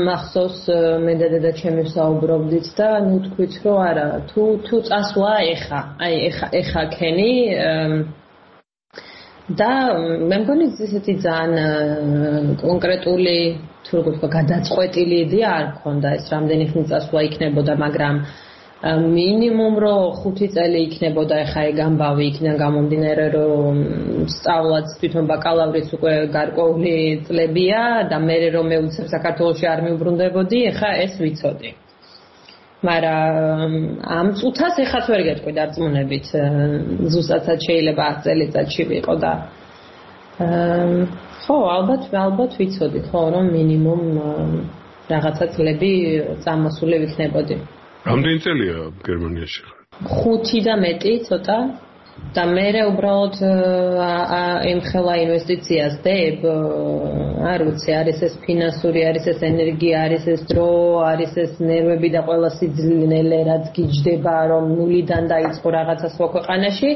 მახსოვს მე და დედა ჩემი საუბრობდით და ნუ თქვით რომ არა თუ თუ წასვლა ეხა აი ეხა ეხა ქენი და მე მგონი ისეთი ძალიან კონკრეტული თუ როგორ ვთქვა გადაწყვეტილი იდეა არ მქონდა ეს რამდენი ხნის წასვლა იქნებოდა მაგრამ მინიმუმ რო ხუთი წელი იქნებოდა ეხა ეგ ამბავი იქიდან გამომდინარე რომ სწავლაც თვითონ ბაკალავრიც უკვე გარკვეული წლებია და მე რომ მე უცებ საქართველოში არ მიუბრუნდებოდი ეხა ეს ვიცოდი. მაგრამ ამ წუთას ეხაც ვერ გეტყვი დარწმუნებით ზუსტად შეიძლება ათი წელიწადში ვიყო და ხო ალბათ ალბათ ვიცოდი ხო რომ მინიმუმ რაღაცა წლები წამოსული ვიქნებოდი. რამდენი წელია გერმანიაში ხარ? ხუთი და მეტი ცოტა და მე უბრალოდ ემხელა ინვესტიციას დებ არ ვიცი არის ეს ფინანსური არის ეს ენერგია არის ეს დრო არის ეს ნერვები და ყველა სიძნელე რაც გიჯდება რომ ნულიდან დაიწყო რაღაცა სხვა ქვეყანაში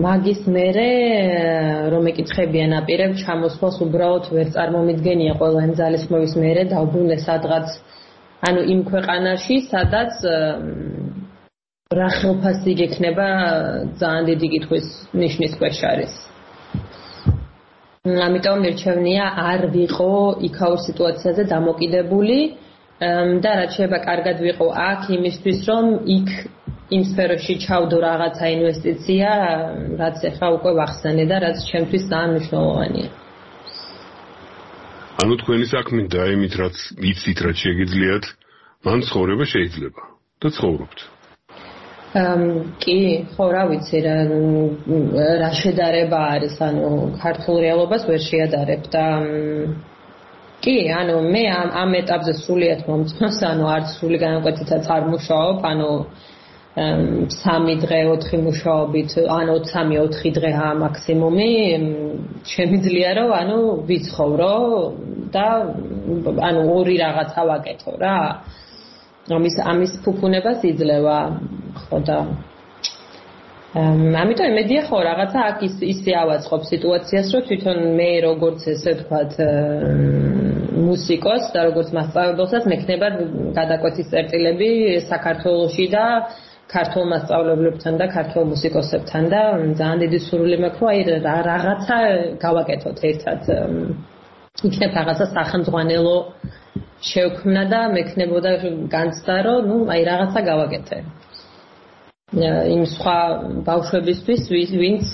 მაგის მერე რომ ეკითხებიან აპირებ ჩამოსვლას უბრალოდ ვერ წარმომიდგენია ყველა იმ ძალისხმევის მერე დავბრუნე სადღაც ანუ იმ ქვეყანაში, სადაც რა ხელფასი გექნება ძალიან დიდი კითხვის ნიშნის ქვეშ არის. ამიტომ მირჩევნია არ ვიყო იქაურ სიტუაციაზე დამოკიდებული და რაც შეიძლება კარგად ვიყო აქ იმისთვის რომ იქ იმ სფეროში ჩავდო რაღაცა ინვესტიცია, რაც ახლა უკვე ვახსენე და რაც ჩემთვის ძალიან მნიშვნელოვანია. ანუ თქვენი საქმე და იმით რაც იცით რაც შეგიძლიათ მან ცხოვრება შეიძლება და ცხოვრობთ. კი, ხო რა ვიცი რა რა შედარება არის ანუ ქართულ რეალობას ვერ შეადარებ და კი ანუ მე ამ ამ ეტაპზე სრულიად მომწონს ანუ არც სრული განაკვეთითაც არ მუშაობ ანუ სამი დღე ოთხი მუშაობით ან ოცი ოთხი დღეა მაქსიმუმი შემიძლია რომ ანუ ვიცხოვრო და ანუ ორი რაღაცა ვაკეთო რა ამის ამის ფუფუნებას იძლევა ხო და ამიტომ იმედია ხო რაღაცა აქ ის ისე ავაწყობ სიტუაციას რომ თვითონ მე როგორც ესე ვთქვათ მუსიკოს და როგორც მასწავლებელსაც მექნება გადაკვეთის წერტილები საქართველოში და ქართულ მასწავლებლებთან და ქართულ მუსიკოსებთან და ძალიან დიდი სურვილი მაქვს რომ აი რაღაცა გავაკეთოთ ერთად იქნებ რაღაცა სახელმძღვანელო შევქმნა და მექნებოდა განცდა რომ ნუ აი რაღაცა გავაკეთე იმ სხვა ბავშვებისთვის ვინც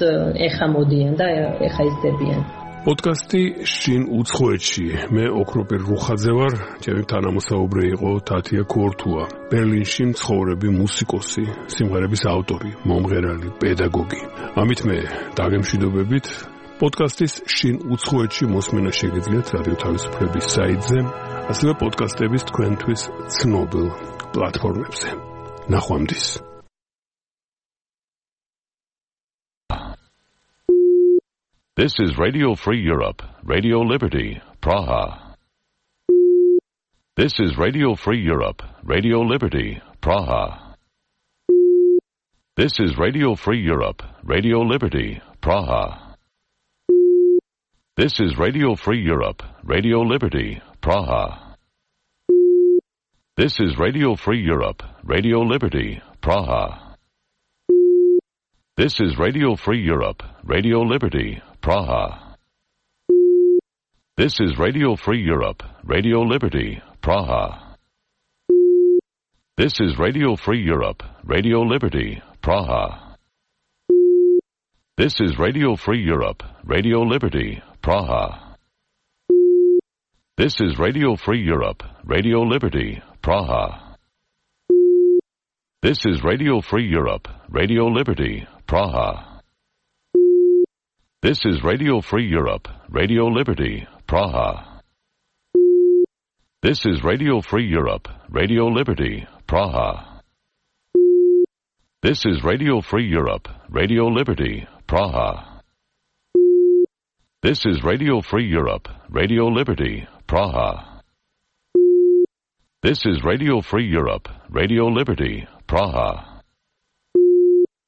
ეხა მოდიან და ეხა იზრდებიან პოდკასტი შინ უცხოეთში. მე ოქროპირ რუხაძე ვარ, ჩემი თანამოსაუბრე იყო თათია ქორთუა, ბერლინში მცხოვრები მუსიკოსი, სიმღერების ავტორი, მომღერალი, პედაგოგი. ამით მე დაგემშვიდობებით. პოდკასტის შინ უცხოეთში მოსმენა შეგიძლიათ რადიო თავისუფლების საიტზე, ასევე პოდკასტების თქვენთვის ცნობილ პლატფორმებზე. ნახვამდის. This is Radio Free Europe, Radio Liberty, Praha. This is Radio Free Europe, Radio Liberty, Praha. This is Radio Free Europe, Radio Liberty, Praha. This is Radio Free Europe, Radio Liberty, Praha. This is Radio Free Europe, Radio Liberty, Praha. This is Radio Free Europe, Radio Liberty, Praha. This is Radio Free Europe, Radio Liberty, Praha. This is Radio Free Europe, Radio Liberty, Praha. This is Radio Free Europe, Radio Liberty, Praha. This is Radio Free Europe, Radio Liberty, Praha. This is Radio Free Europe, Radio Liberty, Praha. This is Radio Free Europe, Radio Liberty, Praha. This is Radio Free Europe, Radio Liberty, Praha. This is Radio Free Europe, Radio Liberty, Praha. This is Radio Free Europe, Radio Liberty, Praha. This is Radio Free Europe, Radio Liberty, Praha.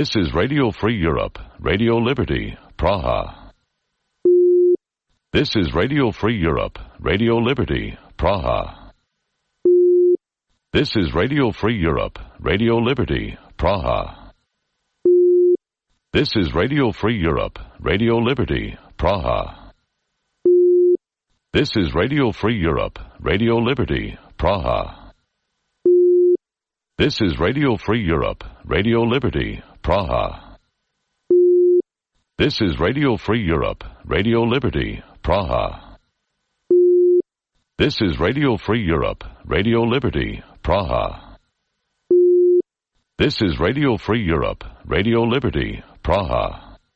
This is Radio Free Europe, Radio Liberty, Praha. This is Radio Free Europe, Radio Liberty, Praha. This is Radio Free Europe, Radio Liberty, Praha. This is Radio Free Europe, Radio Liberty, Praha. This is Radio Free Europe, Radio Liberty, Praha. This is Radio Free Europe, Radio Liberty, Praha. This is Radio Free Europe, Radio Liberty, Praha.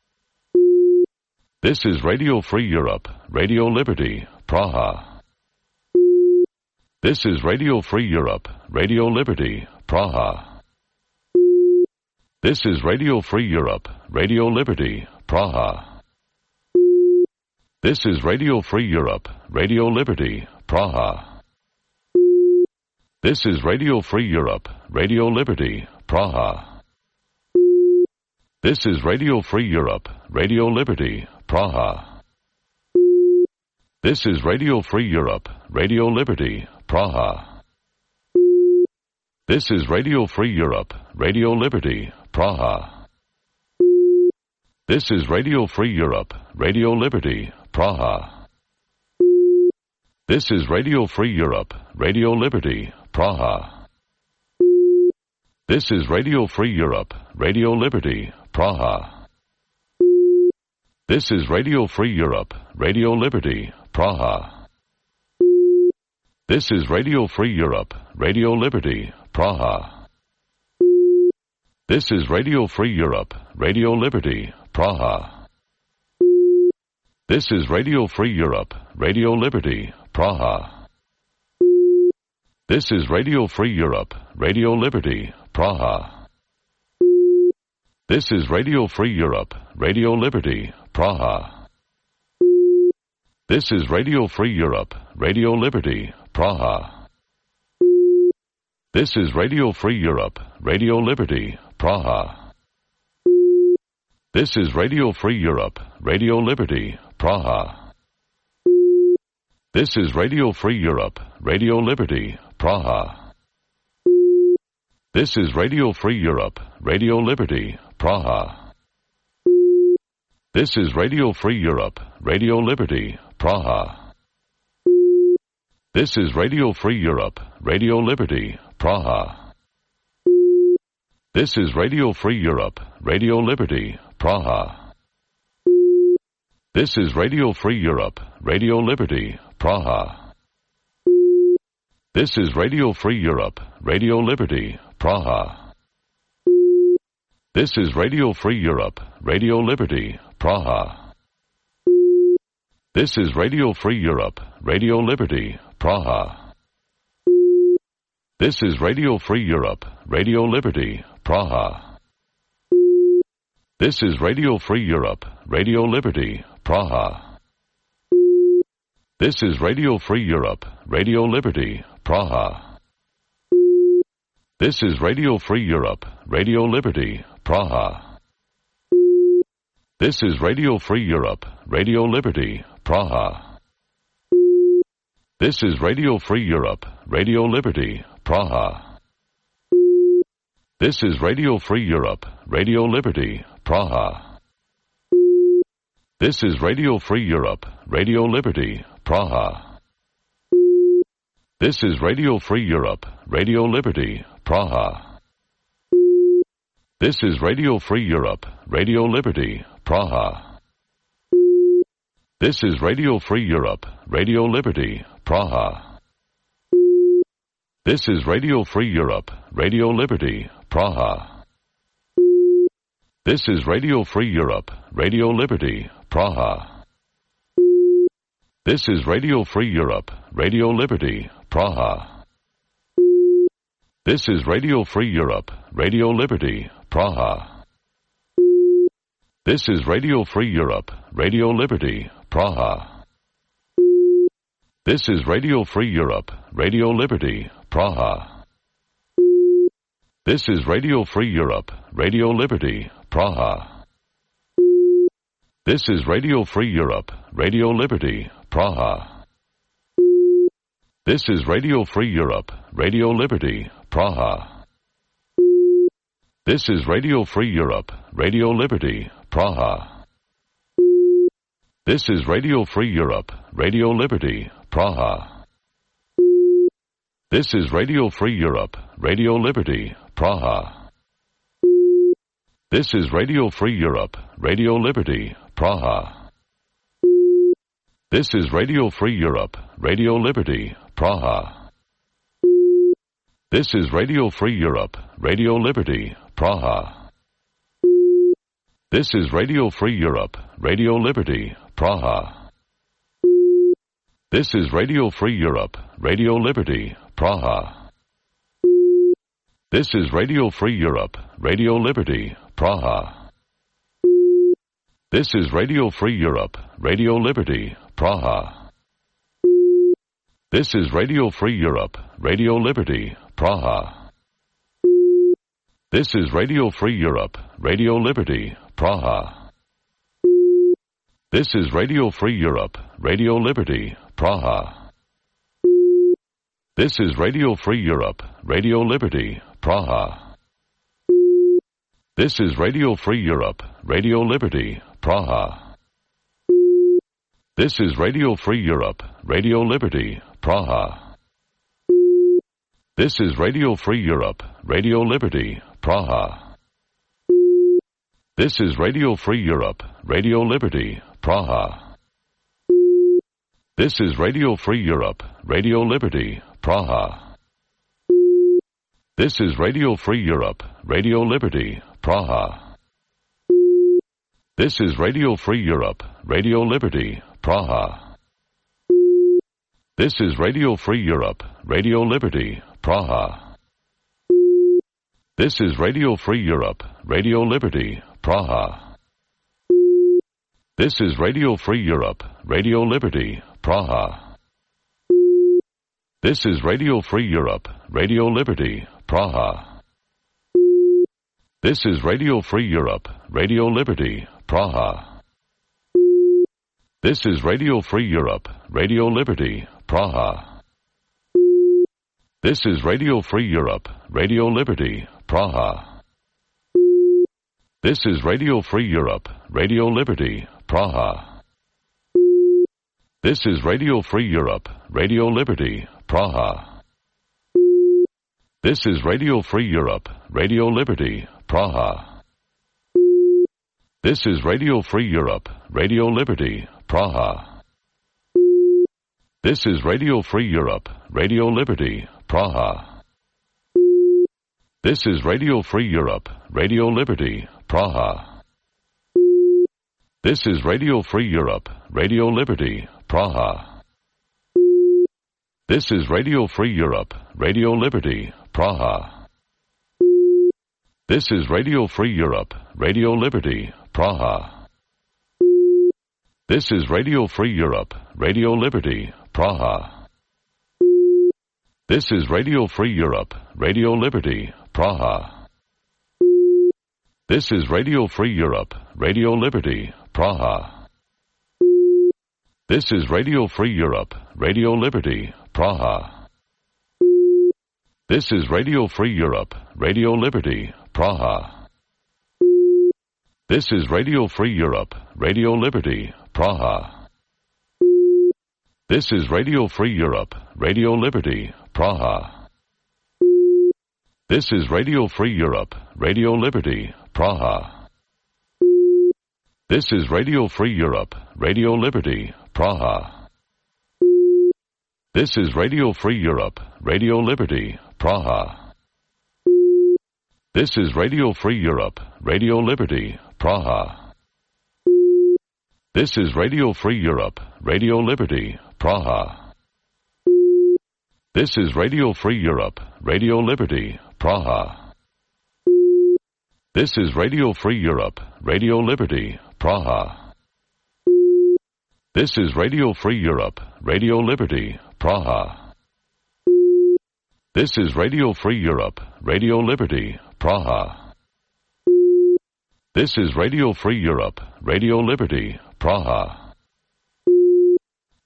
This is Radio Free Europe, Radio Liberty, Praha. This is Radio Free Europe, Radio Liberty, Praha. This is Radio Free Europe, Radio Liberty, Praha. This is Radio Free Europe, Radio Liberty, Praha. This is Radio Free Europe, Radio Liberty, Praha. This is Radio Free Europe, Radio Liberty, Praha. This is Radio Free Europe, Radio Liberty, Praha. This is Radio Free Europe, Radio Liberty, Praha. This is Radio Free Europe, Radio Liberty, Praha. This is Radio Free Europe, Radio Liberty, Praha. This is Radio Free Europe, Radio Liberty, Praha. This is Radio Free Europe, Radio Liberty, Praha. This is Radio Free Europe, Radio Liberty, Praha. This is Radio Free Europe, Radio Liberty, Praha. This is Radio Free Europe, Radio Liberty, Praha. This is Radio Free Europe, Radio Liberty, Praha. This is Radio Free Europe, Radio Liberty, Praha. This is Radio Free Europe, Radio Liberty, Praha. This is Radio Free Europe, Radio Liberty, Praha. This is Radio Free Europe, Radio Liberty, Praha. This is Radio Free Europe, Radio Liberty, Praha. This is Radio Free Europe, Radio Liberty, Praha. This is Radio Free Europe, Radio Liberty, Praha. This is Radio Free Europe, Radio Liberty, Praha. This is Radio Free Europe, Radio Liberty, Praha. This is Radio Free Europe, Radio Liberty, Praha. This is Radio Free Europe, Radio Liberty, Praha. This is Radio Free Europe, Radio Liberty, Praha. This is Radio Free Europe, Radio Liberty, Praha. This is Radio Free Europe, Radio Liberty, Praha. This is Radio Free Europe, Radio Liberty, Praha. This is Radio Free Europe, Radio Liberty, Praha. This is Radio Free Europe, Radio Liberty, Praha. This is Radio Free Europe, Radio Liberty, Praha. This is Radio Free Europe, Radio Liberty, Praha. This is Radio Free Europe, Radio Liberty, Praha. This is Radio Free Europe, Radio Liberty, Praha. This is Radio Free Europe, Radio Liberty, Praha. This is Radio Free Europe, Radio Liberty, Praha. This is Radio Free Europe, Radio Liberty, Praha. This is Radio Free Europe, Radio Liberty, Praha. This is Radio Free Europe, Radio Liberty, Praha. This is Radio Free Europe, Radio Liberty, Praha. This is Radio Free Europe, Radio Liberty, Praha. This is Radio Free Europe, Radio Liberty, Praha. This is Radio Free Europe, Radio Liberty, Praha. This is Radio Free Europe, Radio Liberty, Praha. This is Radio Free Europe, Radio Liberty, Praha. This is Radio Free Europe, Radio Liberty, Praha. This is Radio Free Europe, Radio Liberty, Praha. This is Radio Free Europe, Radio Liberty, Praha. This is Radio Free Europe, Radio Liberty, Praha. This is Radio Free Europe, Radio Liberty, Praha. This is Radio Free Europe, Radio Liberty, Praha. This is Radio Free Europe, Radio Liberty, Praha. This is Radio Free Europe, Radio Liberty, Praha. This is Radio Free Europe, Radio Liberty, Praha. This is Radio Free Europe, Radio Liberty, Praha. This is Radio Free Europe, Radio Liberty, Praha. This is Radio Free Europe, Radio Liberty, Praha. This is Radio Free Europe, Radio Liberty, Praha. This is Radio Free Europe, Radio Liberty, Praha. This is Radio Free Europe, Radio Liberty, Praha. This is Radio Free Europe, Radio Liberty, Praha. This is Radio Free Europe, Radio Liberty, Praha. This is Radio Free Europe, Radio Liberty, Praha. This is Radio Free Europe, Radio Liberty, Praha. This is Radio Free Europe, Radio Liberty, Praha. This is Radio Free Europe, Radio Liberty, Praha. This is Radio Free Europe, Radio Liberty, Praha. This is Radio Free Europe, Radio Liberty, Praha. This is Radio Free Europe, Radio Liberty, Praha. This is Radio Free Europe, Radio Liberty, Praha. This is Radio Free Europe, Radio Liberty, Praha. This is Radio Free Europe, Radio Liberty, Praha. This is Radio Free Europe, Radio Liberty, Praha. This is Radio Free Europe, Radio Liberty, Praha. This is Radio Free Europe, Radio Liberty, Praha. This is Radio Free Europe, Radio Liberty, Praha. This is Radio Free Europe, Radio Liberty, Praha. This is Radio Free Europe, Radio Liberty, Praha. This is Radio Free Europe, Radio Liberty, Praha. This is Radio Free Europe, Radio Liberty, Praha. This is Radio Free Europe, Radio Liberty, Praha. This is Radio Free Europe, Radio Liberty, Praha. This is Radio Free Europe, Radio Liberty, Praha. This is Radio Free Europe, Radio Liberty, Praha. This is Radio Free Europe, Radio Liberty, Praha. This is Radio Free Europe, Radio Liberty, Praha. This is Radio Free Europe, Radio Liberty, Praha. This is Radio Free Europe, Radio Liberty, Praha. This is Radio Free Europe, Radio Liberty, Praha. This is Radio Free Europe, Radio Liberty, Praha. This is Radio Free Europe, Radio Liberty, Praha. This is Radio Free Europe, Radio Liberty, Praha. This is Radio Free Europe, Radio Liberty, Praha. This is Radio Free Europe, Radio Liberty, Praha. This is Radio Free Europe, Radio Liberty, Praha. This is Radio Free Europe, Radio Liberty, Praha. This is Radio Free Europe, Radio Liberty, Praha. This is Radio Free Europe, Radio Liberty, Praha. This is Radio Free Europe, Radio Liberty, Praha. This is Radio Free Europe, Radio Liberty, Praha. This is Radio Free Europe, Radio Liberty, Praha. This is Radio Free Europe, Radio Liberty, Praha.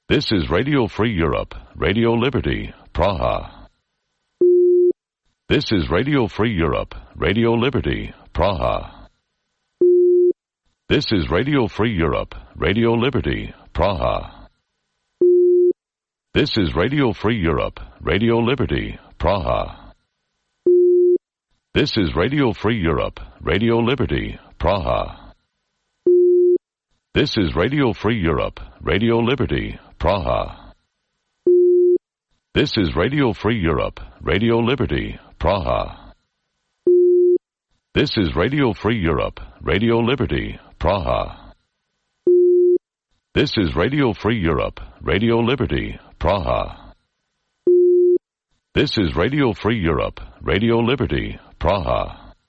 This is Radio Free Europe, Radio Liberty, Praha. This is Radio Free Europe, Radio Liberty, Praha. This is Radio Free Europe, Radio Liberty, Praha. This is Radio Free Europe, Radio Liberty, Praha. This is Radio Free Europe, Radio Liberty, Praha. This is Radio Free Europe, Radio Liberty, Praha. This is Radio Free Europe, Radio Liberty, Praha. This is Radio Free Europe, Radio Liberty, Praha. This is Radio Free Europe, Radio Liberty, Praha. This is Radio Free Europe, Radio Liberty, Praha.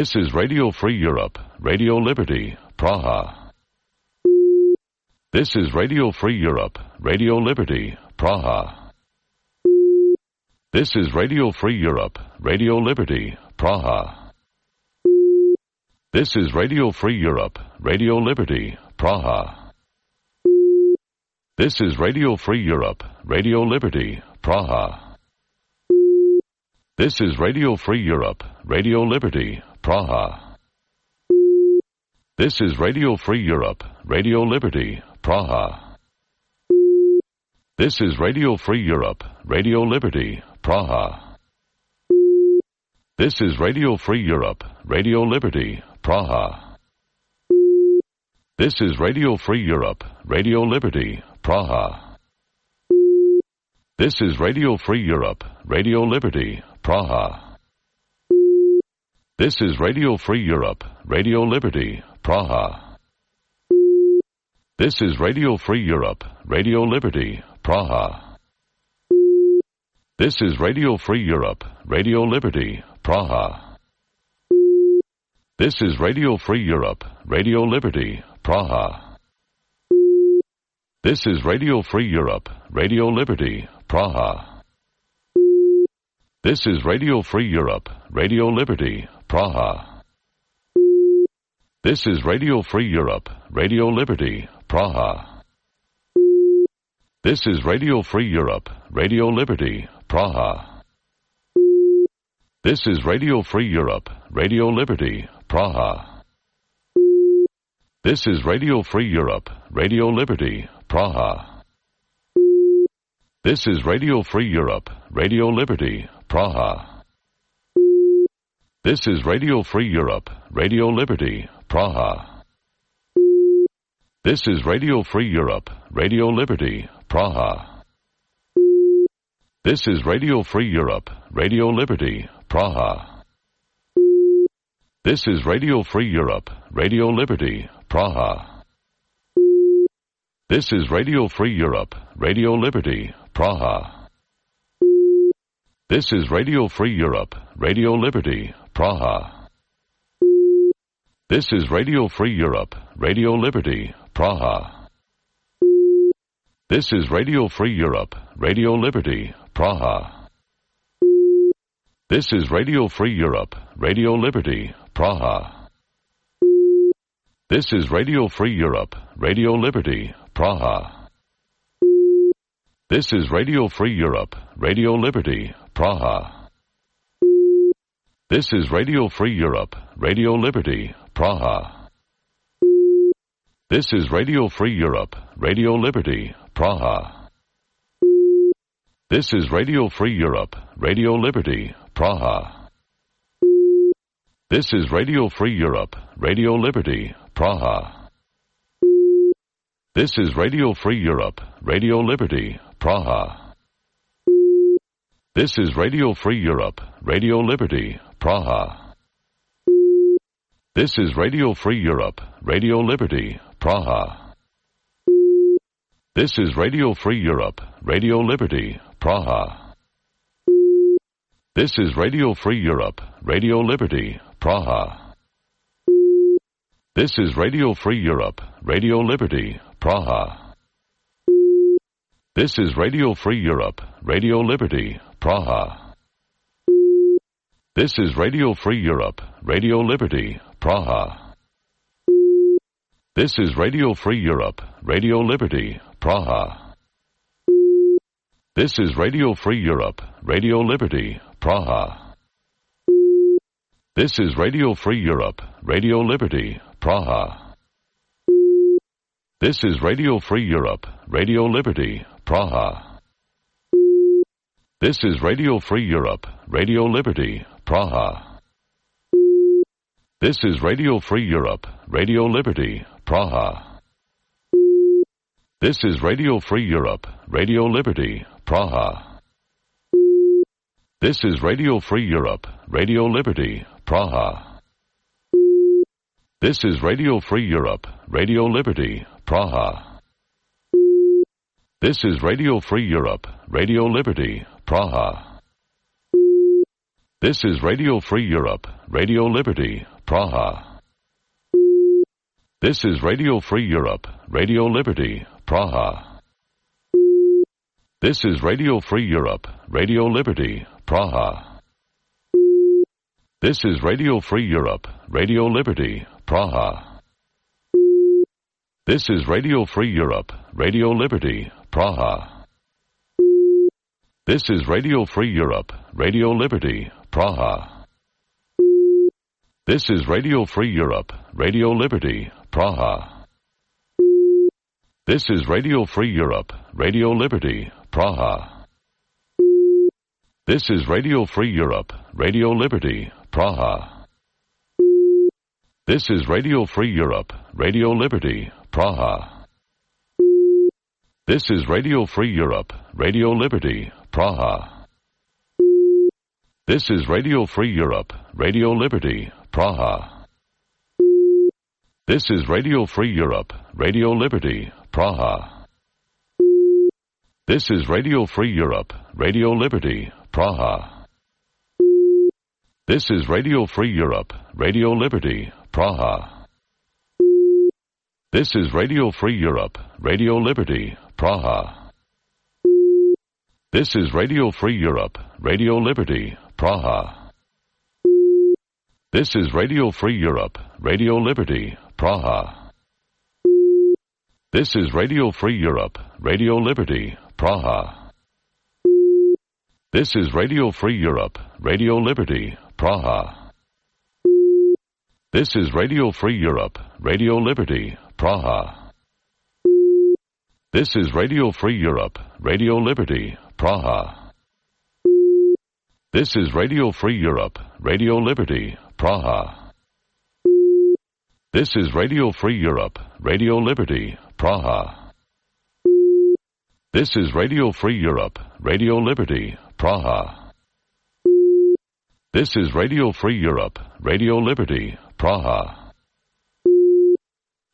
This is Radio Free Europe, Radio Liberty, Praha. This is Radio Free Europe, Radio Liberty, Praha. This is Radio Free Europe, Radio Liberty, Praha. This is Radio Free Europe, Radio Liberty, Praha. This is Radio Free Europe, Radio Liberty, Praha. This is Radio Free Europe, Radio Liberty, Praha. This is Radio Free Europe, Radio Liberty, Praha. This is Radio Free Europe, Radio Liberty, Praha. This is Radio Free Europe, Radio Liberty, Praha. This is Radio Free Europe, Radio Liberty, Praha. This is Radio Free Europe, Radio Liberty, Praha. This is Radio Free Europe, Radio Liberty, Praha. This is Radio Free Europe, Radio Liberty, Praha. This is Radio Free Europe, Radio Liberty, Praha. This is Radio Free Europe, Radio Liberty, Praha. This is Radio Free Europe, Radio Liberty, Praha. This is Radio Free Europe, Radio Liberty, Praha. This is Radio Free Europe, Radio Liberty, Praha. This is Radio Free Europe, Radio Liberty, Praha. This is Radio Free Europe, Radio Liberty, Praha. This is Radio Free Europe, Radio Liberty, Praha. This is Radio Free Europe, Radio Liberty, Praha. This is Radio Free Europe, Radio Liberty, Praha. This is Radio Free Europe, Radio Liberty, Praha. This is Radio Free Europe, Radio Liberty, Praha. This is Radio Free Europe, Radio Liberty, Praha. This is Radio Free Europe, Radio Liberty, Praha. This is Radio Free Europe, Radio Liberty, Praha. This is Radio Free Europe, Radio Liberty, Praha. This is Radio Free Europe, Radio Liberty, Praha. This is Radio Free Europe, Radio Liberty, Praha. This is Radio Free Europe, Radio Liberty, Praha. This is Radio Free Europe, Radio Liberty, Praha. This is Radio Free Europe, Radio Liberty, Praha. This is Radio Free Europe, Radio Liberty, Praha. This is Radio Free Europe, Radio Liberty, Praha. This is Radio Free Europe, Radio Liberty, Praha. This is Radio Free Europe, Radio Liberty, Praha. This is Radio Free Europe, Radio Liberty, Praha. This is Radio Free Europe, Radio Liberty, Praha. This is Radio Free Europe, Radio Liberty, Praha. This is Radio Free Europe, Radio Liberty, Praha. This is Radio Free Europe, Radio Liberty, Praha. This is Radio Free Europe, Radio Liberty, Praha. This is Radio Free Europe, Radio Liberty, Praha. This is Radio Free Europe, Radio Liberty, Praha. This is Radio Free Europe, Radio Liberty, Praha. This is Radio Free Europe, Radio Liberty, Praha. This is Radio Free Europe, Radio Liberty, Praha. This is Radio Free Europe, Radio Liberty, Praha. This is Radio Free Europe, Radio Liberty, Praha. This is Radio Free Europe, Radio Liberty, Praha. This is Radio Free Europe, Radio Liberty, Praha. This is Radio Free Europe, Radio Liberty, Praha. This is Radio Free Europe, Radio Liberty, Praha. This is Radio Free Europe, Radio Liberty, Praha. This is Radio Free Europe, Radio Liberty, Praha. This is Radio Free Europe, Radio Liberty, Praha. This is Radio Free Europe, Radio Liberty, Praha. This is Radio Free Europe, Radio Liberty, Praha. This is Radio Free Europe, Radio Liberty, Praha. This is Radio Free Europe, Radio Liberty, Praha. This is Radio Free Europe, Radio Liberty, Praha. This is Radio Free Europe, Radio Liberty, Praha. This is Radio Free Europe, Radio Liberty, Praha. This is Radio Free Europe, Radio Liberty, Praha. This is Radio Free Europe, Radio Liberty, Praha. This is Radio Free Europe, Radio Liberty, Praha. This is Radio Free Europe, Radio Liberty, Praha. This is Radio Free Europe, Radio Liberty, Praha. This is Radio Free Europe, Radio Liberty, Praha. This is Radio Free Europe, Radio Liberty, Praha. This is Radio Free Europe, Radio Liberty, Praha. This is Radio Free Europe, Radio Liberty, Praha. This is Radio Free Europe, Radio Liberty, Praha. This is Radio Free Europe, Radio Liberty, Praha. This is Radio Free Europe, Radio Liberty, Praha. This is Radio Free Europe, Radio Liberty, Praha. This is Radio Free Europe, Radio Liberty, Praha. This is Radio Free Europe, Radio Liberty, Praha. This is Radio Free Europe, Radio Liberty, Praha.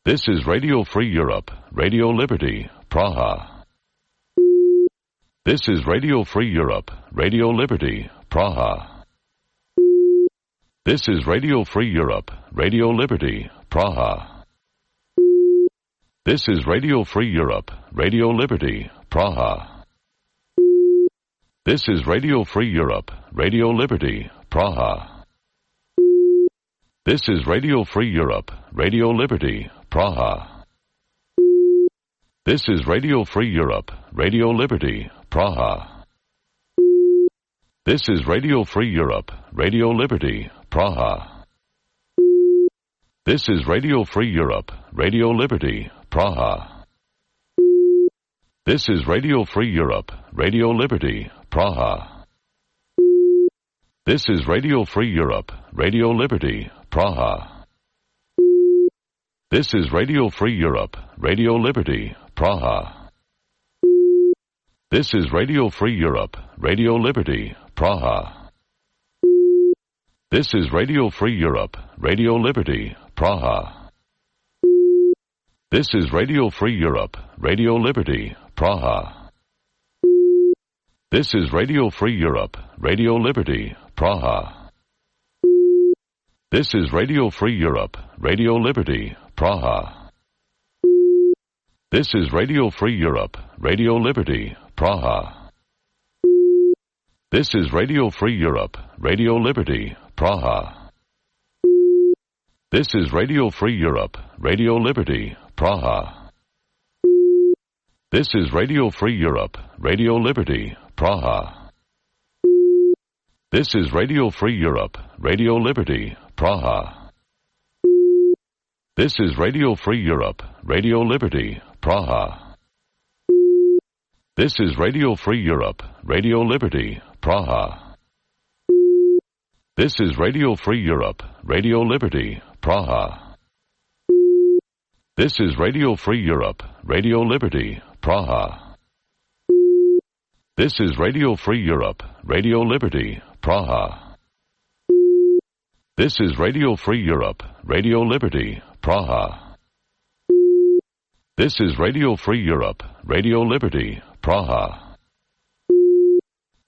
This is Radio Free Europe, Radio Liberty, Praha. This is Radio Free Europe, Radio Liberty, Praha. This is Radio Free Europe, Radio Liberty, Praha. This is Radio Free Europe, Radio Liberty, Praha. This is Radio Free Europe, Radio Liberty, Praha. This is Radio Free Europe, Radio Liberty, Praha. This is Radio Free Europe, Radio Liberty, Praha. This is Radio Free Europe, Radio Liberty, Praha. This is Radio Free Europe, Radio Liberty, Praha. This is Radio Free Europe, Radio Liberty, Praha. This is Radio Free Europe, Radio Liberty, Praha. This is Radio Free Europe, Radio Liberty, Praha. This is Radio Free Europe, Radio Liberty, Praha. This is Radio Free Europe, Radio Liberty, Praha. This is Radio Free Europe, Radio Liberty, Praha. This is Radio Free Europe, Radio Liberty, Praha. This is Radio Free Europe, Radio Liberty, Praha. This is Radio Free Europe, Radio Liberty, Praha. This is Radio Free Europe, Radio Liberty, Praha. This is Radio Free Europe, Radio Liberty, Praha. This is Radio Free Europe, Radio Liberty, Praha. This is Radio Free Europe, Radio Liberty, Praha. This is Radio Free Europe, Radio Liberty, Praha. This is Radio Free Europe, Radio Liberty, Praha. This is Radio Free Europe, Radio Liberty, Praha. This is Radio Free Europe, Radio Liberty, Praha. This is Radio Free Europe, Radio Liberty, Praha. This is Radio Free Europe, Radio Liberty, Praha. This is Radio Free Europe, Radio Liberty, Praha.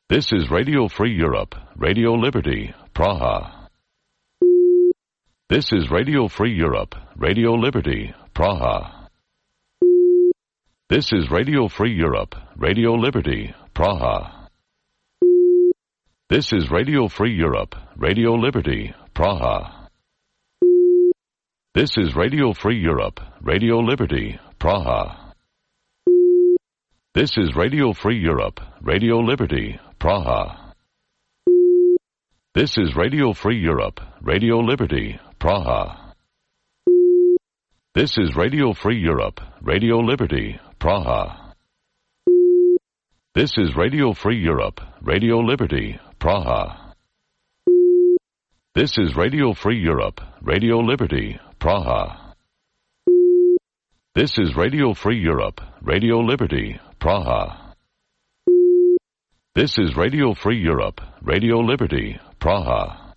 This is Radio Free Europe, Radio Liberty, Praha. This is Radio Free Europe, Radio Liberty, Praha. This is Radio Free Europe, Radio Liberty, Praha. This is Radio Free Europe, Radio Liberty, Praha. This is Radio Free Europe, Radio Liberty, Praha. This is Radio Free Europe, Radio Liberty, Praha. This is Radio Free Europe, Radio Liberty, Praha. This is Radio Free Europe, Radio Liberty, Praha. This is Radio Free Europe, Radio Liberty, Praha. This is Radio Free Europe, Radio Liberty, Praha. This is Radio Free Europe, Radio Liberty, Praha. This is Radio Free Europe, Radio Liberty, Praha.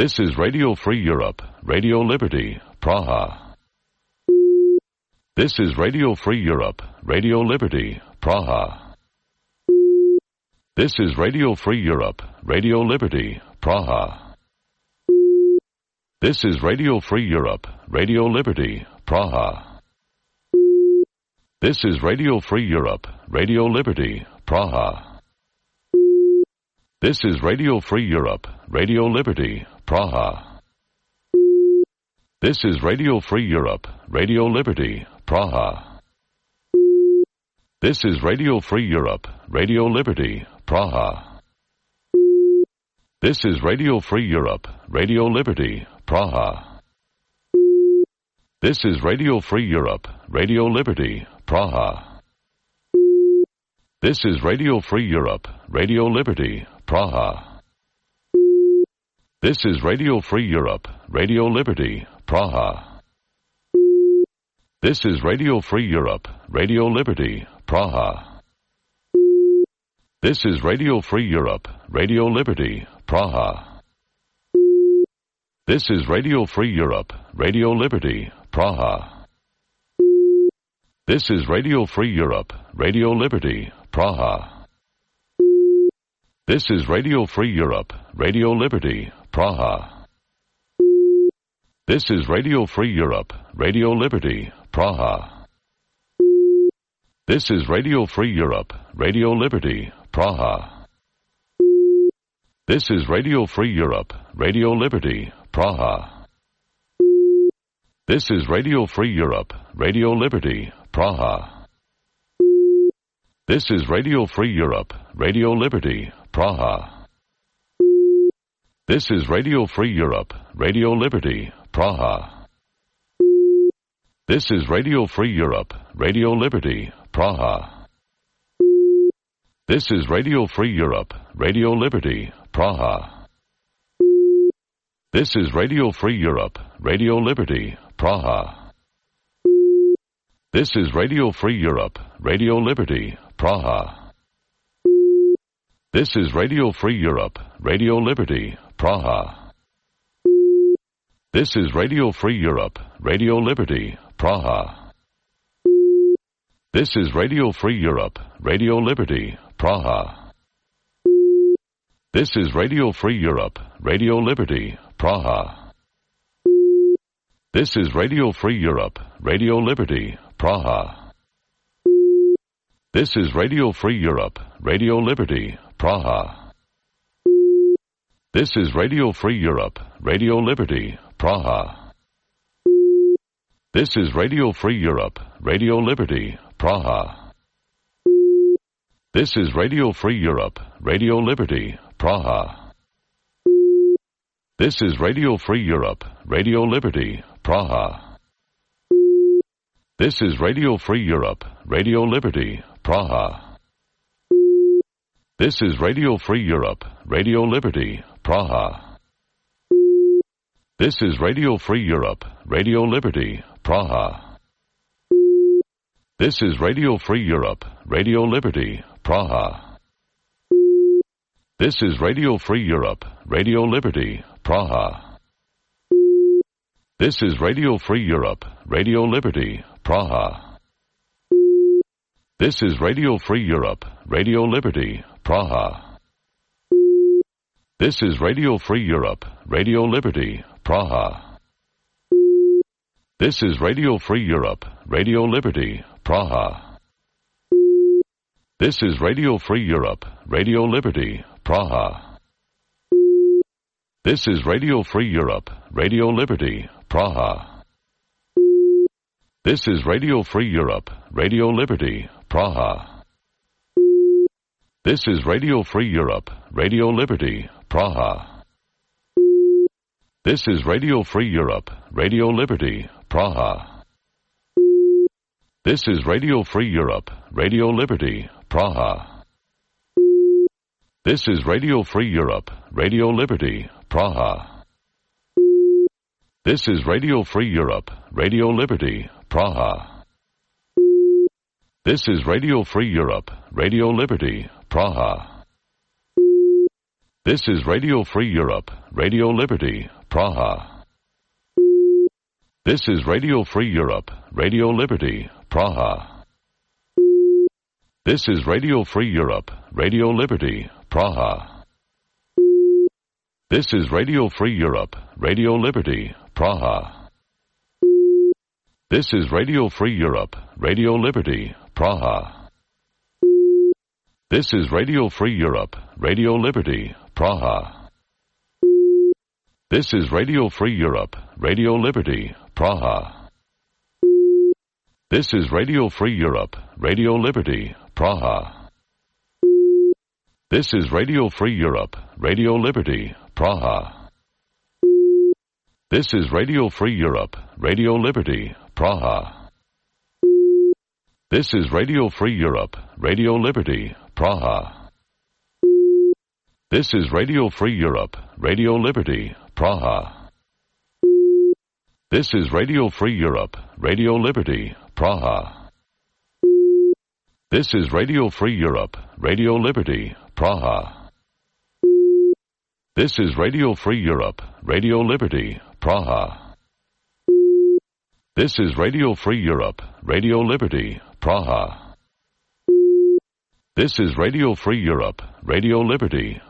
This is Radio Free Europe, Radio Liberty, Praha. This is Radio Free Europe, Radio Liberty, Praha. This is Radio Free Europe, Radio Liberty, Praha. This is Radio Free Europe, Radio Liberty, Praha. This is Radio Free Europe, Radio Liberty, Praha. This is Radio Free Europe, Radio Liberty, Praha. This is Radio Free Europe, Radio Liberty, Praha. This is Radio Free Europe, Radio Liberty, Praha. This is Radio Free Europe, Radio Liberty, Praha. This is Radio Free Europe, Radio Liberty, Praha. This is Radio Free Europe, Radio Liberty, Praha. This is Radio Free Europe, Radio Liberty, Praha. This is Radio Free Europe, Radio Liberty, Praha. This is Radio Free Europe, Radio Liberty, Praha. This is Radio Free Europe, Radio Liberty, Praha. This is Radio Free Europe, Radio Liberty, Praha. This is Radio Free Europe, Radio Liberty, Praha. This is Radio Free Europe, Radio Liberty, Praha. This is Radio Free Europe, Radio Liberty, Praha. This is Radio Free Europe, Radio Liberty, Praha. This is Radio Free Europe, Radio Liberty, Praha. This is Radio Free Europe, Radio Liberty, Praha. This is Radio Free Europe, Radio Liberty, Praha. This is Radio Free Europe, Radio Liberty, Praha. This is Radio Free Europe, Radio Liberty, Praha. This is Radio Free Europe, Radio Liberty, Praha. This is Radio Free Europe, Radio Liberty, Praha. This is Radio Free Europe, Radio Liberty, Praha. This is Radio Free Europe, Radio Liberty, Praha. This is Radio Free Europe, Radio Liberty, Praha. This is Radio Free Europe, Radio Liberty, Praha. This is Radio Free Europe, Radio Liberty, Praha. This is Radio Free Europe, Radio Liberty, Praha. This is Radio Free Europe, Radio Liberty, Praha. This is Radio Free Europe, Radio Liberty, Praha. This is Radio Free Europe, Radio Liberty, Praha. This is Radio Free Europe, Radio Liberty, Praha. This is Radio Free Europe, Radio Liberty, Praha. This is Radio Free Europe, Radio Liberty, Praha. This is Radio Free Europe, Radio Liberty, Praha. This is Radio Free Europe, Radio Liberty, Praha. This is Radio Free Europe, Radio Liberty, Praha. This is Radio Free Europe, Radio Liberty, Praha. This is Radio Free Europe, Radio Liberty, Praha. This is Radio Free Europe, Radio Liberty, Praha. This is Radio Free Europe, Radio Liberty, Praha. This is Radio Free Europe, Radio Liberty, Praha. This is Radio Free Europe, Radio Liberty, Praha. This is Radio Free Europe, Radio Liberty, Praha. This is Radio Free Europe, Radio Liberty, Praha. This is Radio Free Europe, Radio Liberty, Praha. This is Radio Free Europe, Radio Liberty, Praha. This is Radio Free Europe, Radio Liberty, Praha. This is Radio Free Europe, Radio Liberty, Praha. This is Radio Free Europe, Radio Liberty, Praha. This is Radio Free Europe, Radio Liberty, Praha. This is Radio Free Europe, Radio Liberty, Praha. This is Radio Free Europe, Radio Liberty, Praha. This is Radio Free Europe, Radio Liberty, Praha. This is Radio Free Europe, Radio Liberty, Praha. This is Radio Free Europe, Radio Liberty, Praha. This is Radio Free Europe, Radio Liberty, Praha. This is Radio Free Europe, Radio Liberty, Praha. This is Radio Free Europe, Radio Liberty, Praha. This is Radio Free Europe, Radio Liberty, Praha. This is Radio Free Europe, Radio Liberty, Praha. This is Radio Free Europe, Radio Liberty, Praha. This is Radio Free Europe, Radio Liberty, Praha. This is Radio Free Europe, Radio Liberty, Praha. This is Radio Free Europe, Radio Liberty, Praha. This is Radio Free Europe, Radio Liberty, Praha. This is Radio Free Europe, Radio Liberty,